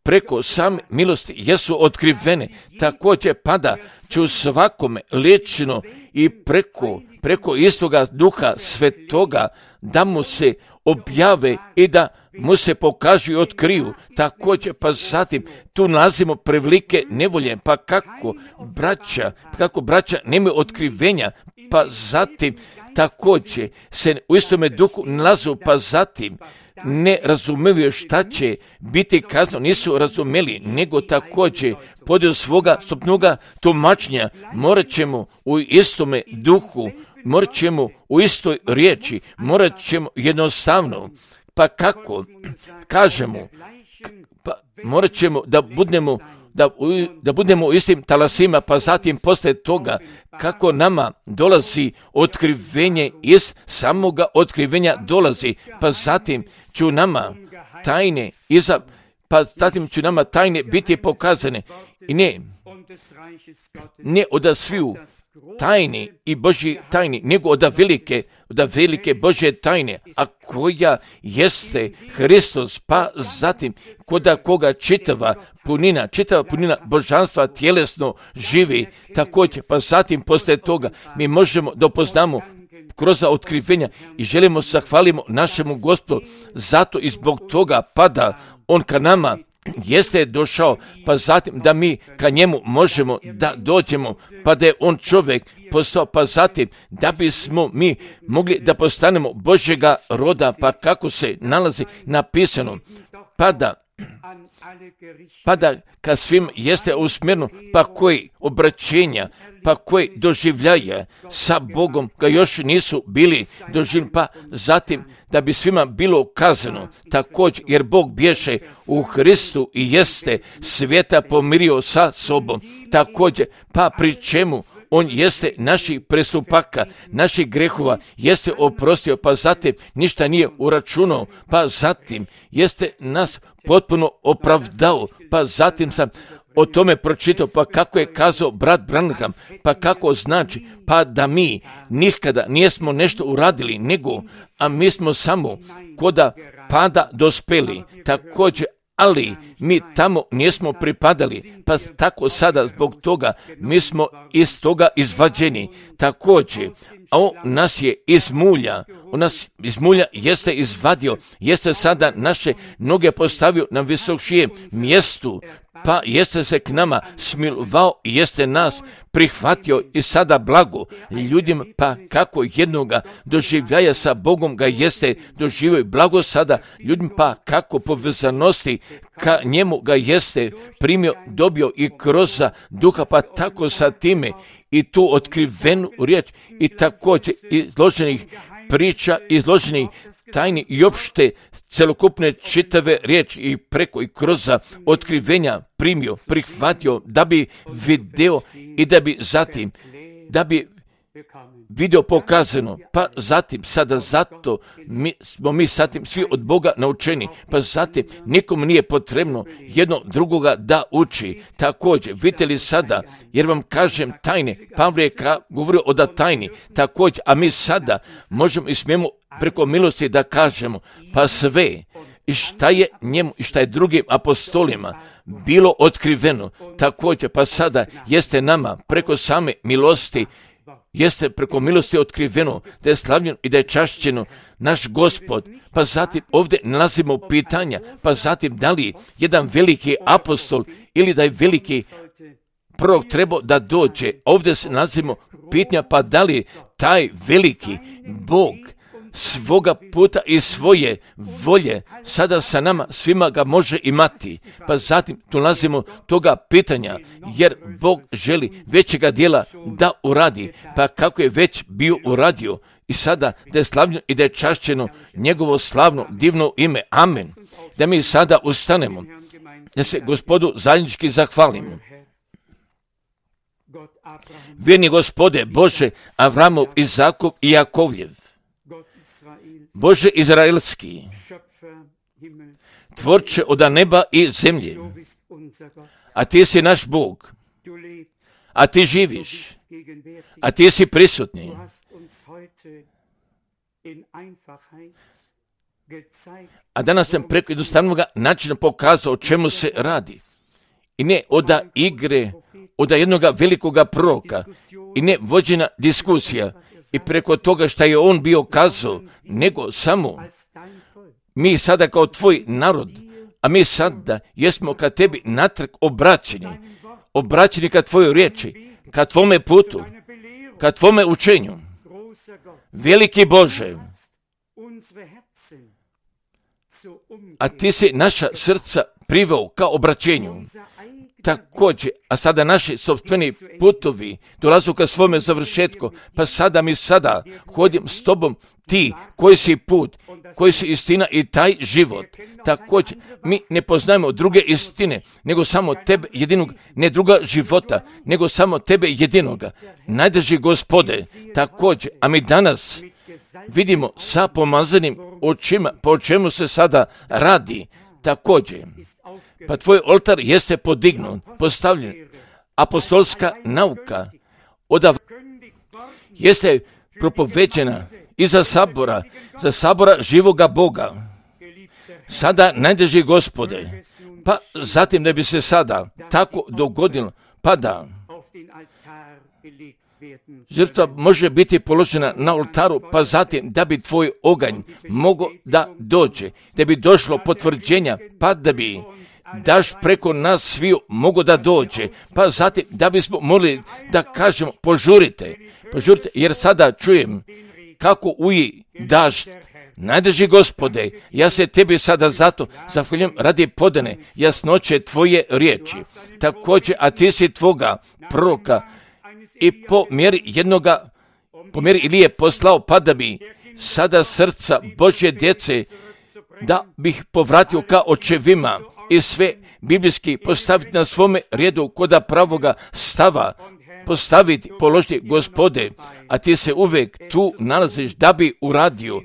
preko same milosti jesu otkrivene, također pada će u svakome lično i preko, preko istoga Duha Svetoga da mu se objave i da mu se pokažu i otkriju. Također pa zatim tu nalazimo prevelike nevolje, pa kako braća, kako braća nemaju otkrivenja, pa zatim također se u istome duhu nalazu, pa zatim ne razumiju šta će biti kazno, nisu razumeli, nego također podijel svoga stopnoga tumačenja morat ćemo u istome duhu, morat ćemo u istoj riječi, morat ćemo jednostavno, pa kako kažemo, pa morat ćemo da budemo Da, da budemo u istim talasima, pa zatim poslije toga kako nama dolazi otkrivenje, iz samoga otkrivenja dolazi, pa zatim ću nama tajne iza, pa zatim ću nama tajne biti pokazane i ne, ne od sviju tajni i Božji tajni, nego od velike, od velike Božje tajne, a koja jeste Hristos, pa zatim koda koga čitava punina, čitava punina božanstva tjelesno živi, također, pa zatim poslije toga mi možemo da upoznamo kroz otkrivenja i želimo zahvalimo našemu Gospodu, zato i zbog toga pada on ka nama, jeste došao, pa zatim da mi ka njemu možemo da dođemo, pa da je on čovjek postao, pa zatim da bismo mi mogli da postanemo Božjega roda, pa kako se nalazi napisano, pa da pa da ka svim jeste usmjereno, pa koji obraćenja, pa koji doživljaje sa Bogom ga još nisu bili doživljeni, pa zatim da bi svima bilo kazano također, jer Bog bješe u Hristu i jeste svijeta pomirio sa sobom, također, pa pri čemu on jeste naših prestupaka, naših grehova, jeste oprostio, pa zatim ništa nije uračunao, pa zatim jeste nas potpuno opravdao, pa zatim sam o tome pročitao, pa kako je kazao brat Branham, pa kako znači, pa da mi nikada nijesmo nešto uradili, nego, a mi smo samo koda pada dospeli, također, ali mi tamo nismo pripadali, pa tako sada zbog toga mi smo iz toga izvađeni. Također, a on nas je iz mulja, on nas iz mulja jeste izvadio, jeste sada naše noge postavio na visokšije mjestu, pa jeste se k nama smilovao i jeste nas prihvatio i sada blago ljudima, pa kako jednoga doživljaja sa Bogom ga jeste doživio blago sada ljudima, pa kako povezanosti ka njemu ga jeste primio, dobio i kroz duha, pa tako sa time i tu otkrivenu riječ i također izloženih priča, izloženih tajni i opšte celokupne čitave riječi i preko i kroz otkrivenja primio, prihvatio, da bi video i da bi zatim, da bi video pokazano, pa zatim sada zato mi, smo mi zatim svi od Boga naučeni, pa zatim nikom nije potrebno jedno drugoga da uči. Također, vidite li sada, jer vam kažem tajne, Pavle je ka, govorio o da tajni, također, a mi sada možemo i smijemo preko milosti da kažemo, pa sve i šta je njemu i šta je drugim apostolima bilo otkriveno, također, pa sada jeste nama preko same milosti, jeste preko milosti otkriveno da je slavljen i da je čašćeno naš Gospod, pa zatim ovdje nalazimo pitanja, pa zatim da li jedan veliki apostol ili da je veliki prorok trebao da dođe, ovdje se nalazimo pitanja, pa da li taj veliki Bog svoga puta i svoje volje sada sa nama svima ga može imati, pa zatim tu nalazimo toga pitanja, jer Bog želi većega dijela da uradi, pa kako je već bio uradio i sada da je slavljeno i da je čašćeno njegovo slavno divno ime. Amen. Da mi sada ustanemo, da se Gospodu zajednički zahvalimo. Vjerni Gospode Bože Avramov, Izakov i Jakovljev, Bože izraelski, tvorče od neba i zemlje, a ti si naš Bog, a ti živiš, a ti si prisutni. A danas sam preko jednostavnog načina pokazao o čemu se radi. I ne od igre, od jednog velikoga proroka, i ne vođena diskusija, i preko toga što je on bio kazao, nego samo mi sada kao tvoj narod, a mi sada jesmo ka tebi natrag obraćeni, obraćeni ka tvojoj riječi, ka tvome putu, ka tvome učenju. Veliki Bože, a ti si naša srca priveo ka obraćenju. Također, a sada naši sopstveni putovi dolazu ka svome završetku, pa sada mi sada hodim s tobom, ti koji si put, koji si istina i taj život. Također, mi ne poznajemo druge istine, nego samo tebe jedinog, ne druga života, nego samo tebe jedinoga. Najdrži Gospode, također, a mi danas vidimo sa pomazanim očima po čemu se sada radi. Također, pa tvoj oltar jeste podignut, postavljen, apostolska nauka odav jeste propoveđena iza sabora, za sabora živoga Boga. Sada najdrži Gospode, pa zatim da bi se sada tako dogodilo, pa da žrtva može biti položena na oltaru, pa zatim da bi tvoj oganj mogao da dođe, da bi došlo potvrđenja, pa da bi daš preko nas sviju mogo da dođe, pa zatim da bismo mogli da kažemo požurite, požurite, jer sada čujem kako uji dašt. Najdrži Gospode, ja se tebi sada zato zahvaljujem radi podane jasnoće tvoje riječi. Također, a ti si tvoga proroka i po mjeri jednoga, po mjeri Ilije poslao, pa da bi sada srca Božje djece, da bih povratio ka očevima i sve biblijski postaviti na svome redu koda pravoga stava, postaviti, položiti Gospode, a ti se uvijek tu nalaziš da bi uradio,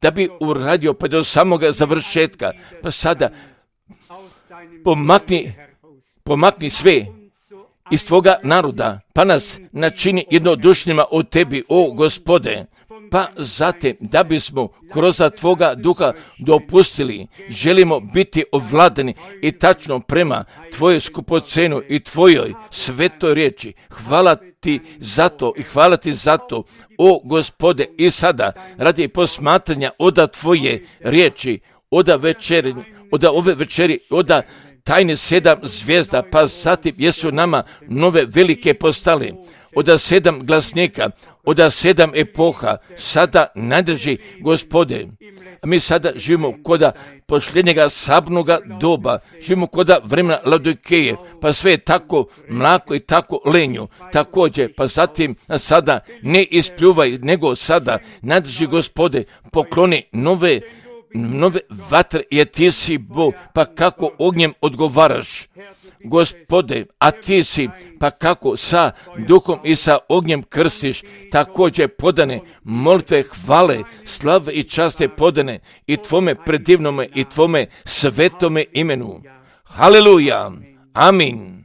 da bi uradio pa do samoga završetka, pa sada pomakni, pomakni sve iz tvoga naroda, pa nas načini jednodušnjima od tebi, o Gospode, pa zatim da bismo kroz Tvoga duha dopustili, želimo biti ovladani i tačno prema Tvojoj skupocenu i Tvojoj svetoj riječi. Hvala Ti za to i hvala Ti za to, o Gospode, i sada radi posmatranja oda Tvoje riječi, oda večeri, oda ove večeri, oda tajne sedam zvijezda, pa zatim jesu nama nove velike postale, oda sedam glasnika, oda sedam epoha, sada nadrži, Gospode. A mi sada živimo koda posljednjega sabnoga doba, živimo koda vremena Laodikeje, pa sve je tako mlako i tako lenju, također, pa zatim sada ne ispljuvaj, nego sada nadrži, Gospode, pokloni nove nove vatre, jer Ti si Bog, pa kako ognjem odgovaraš, Gospode, a Ti si, pa kako sa duhom i sa ognjem krstiš, također podane molitve, hvale, slave i časte podane i Tvome predivnome i Tvome svetome imenu. Haleluja, amin.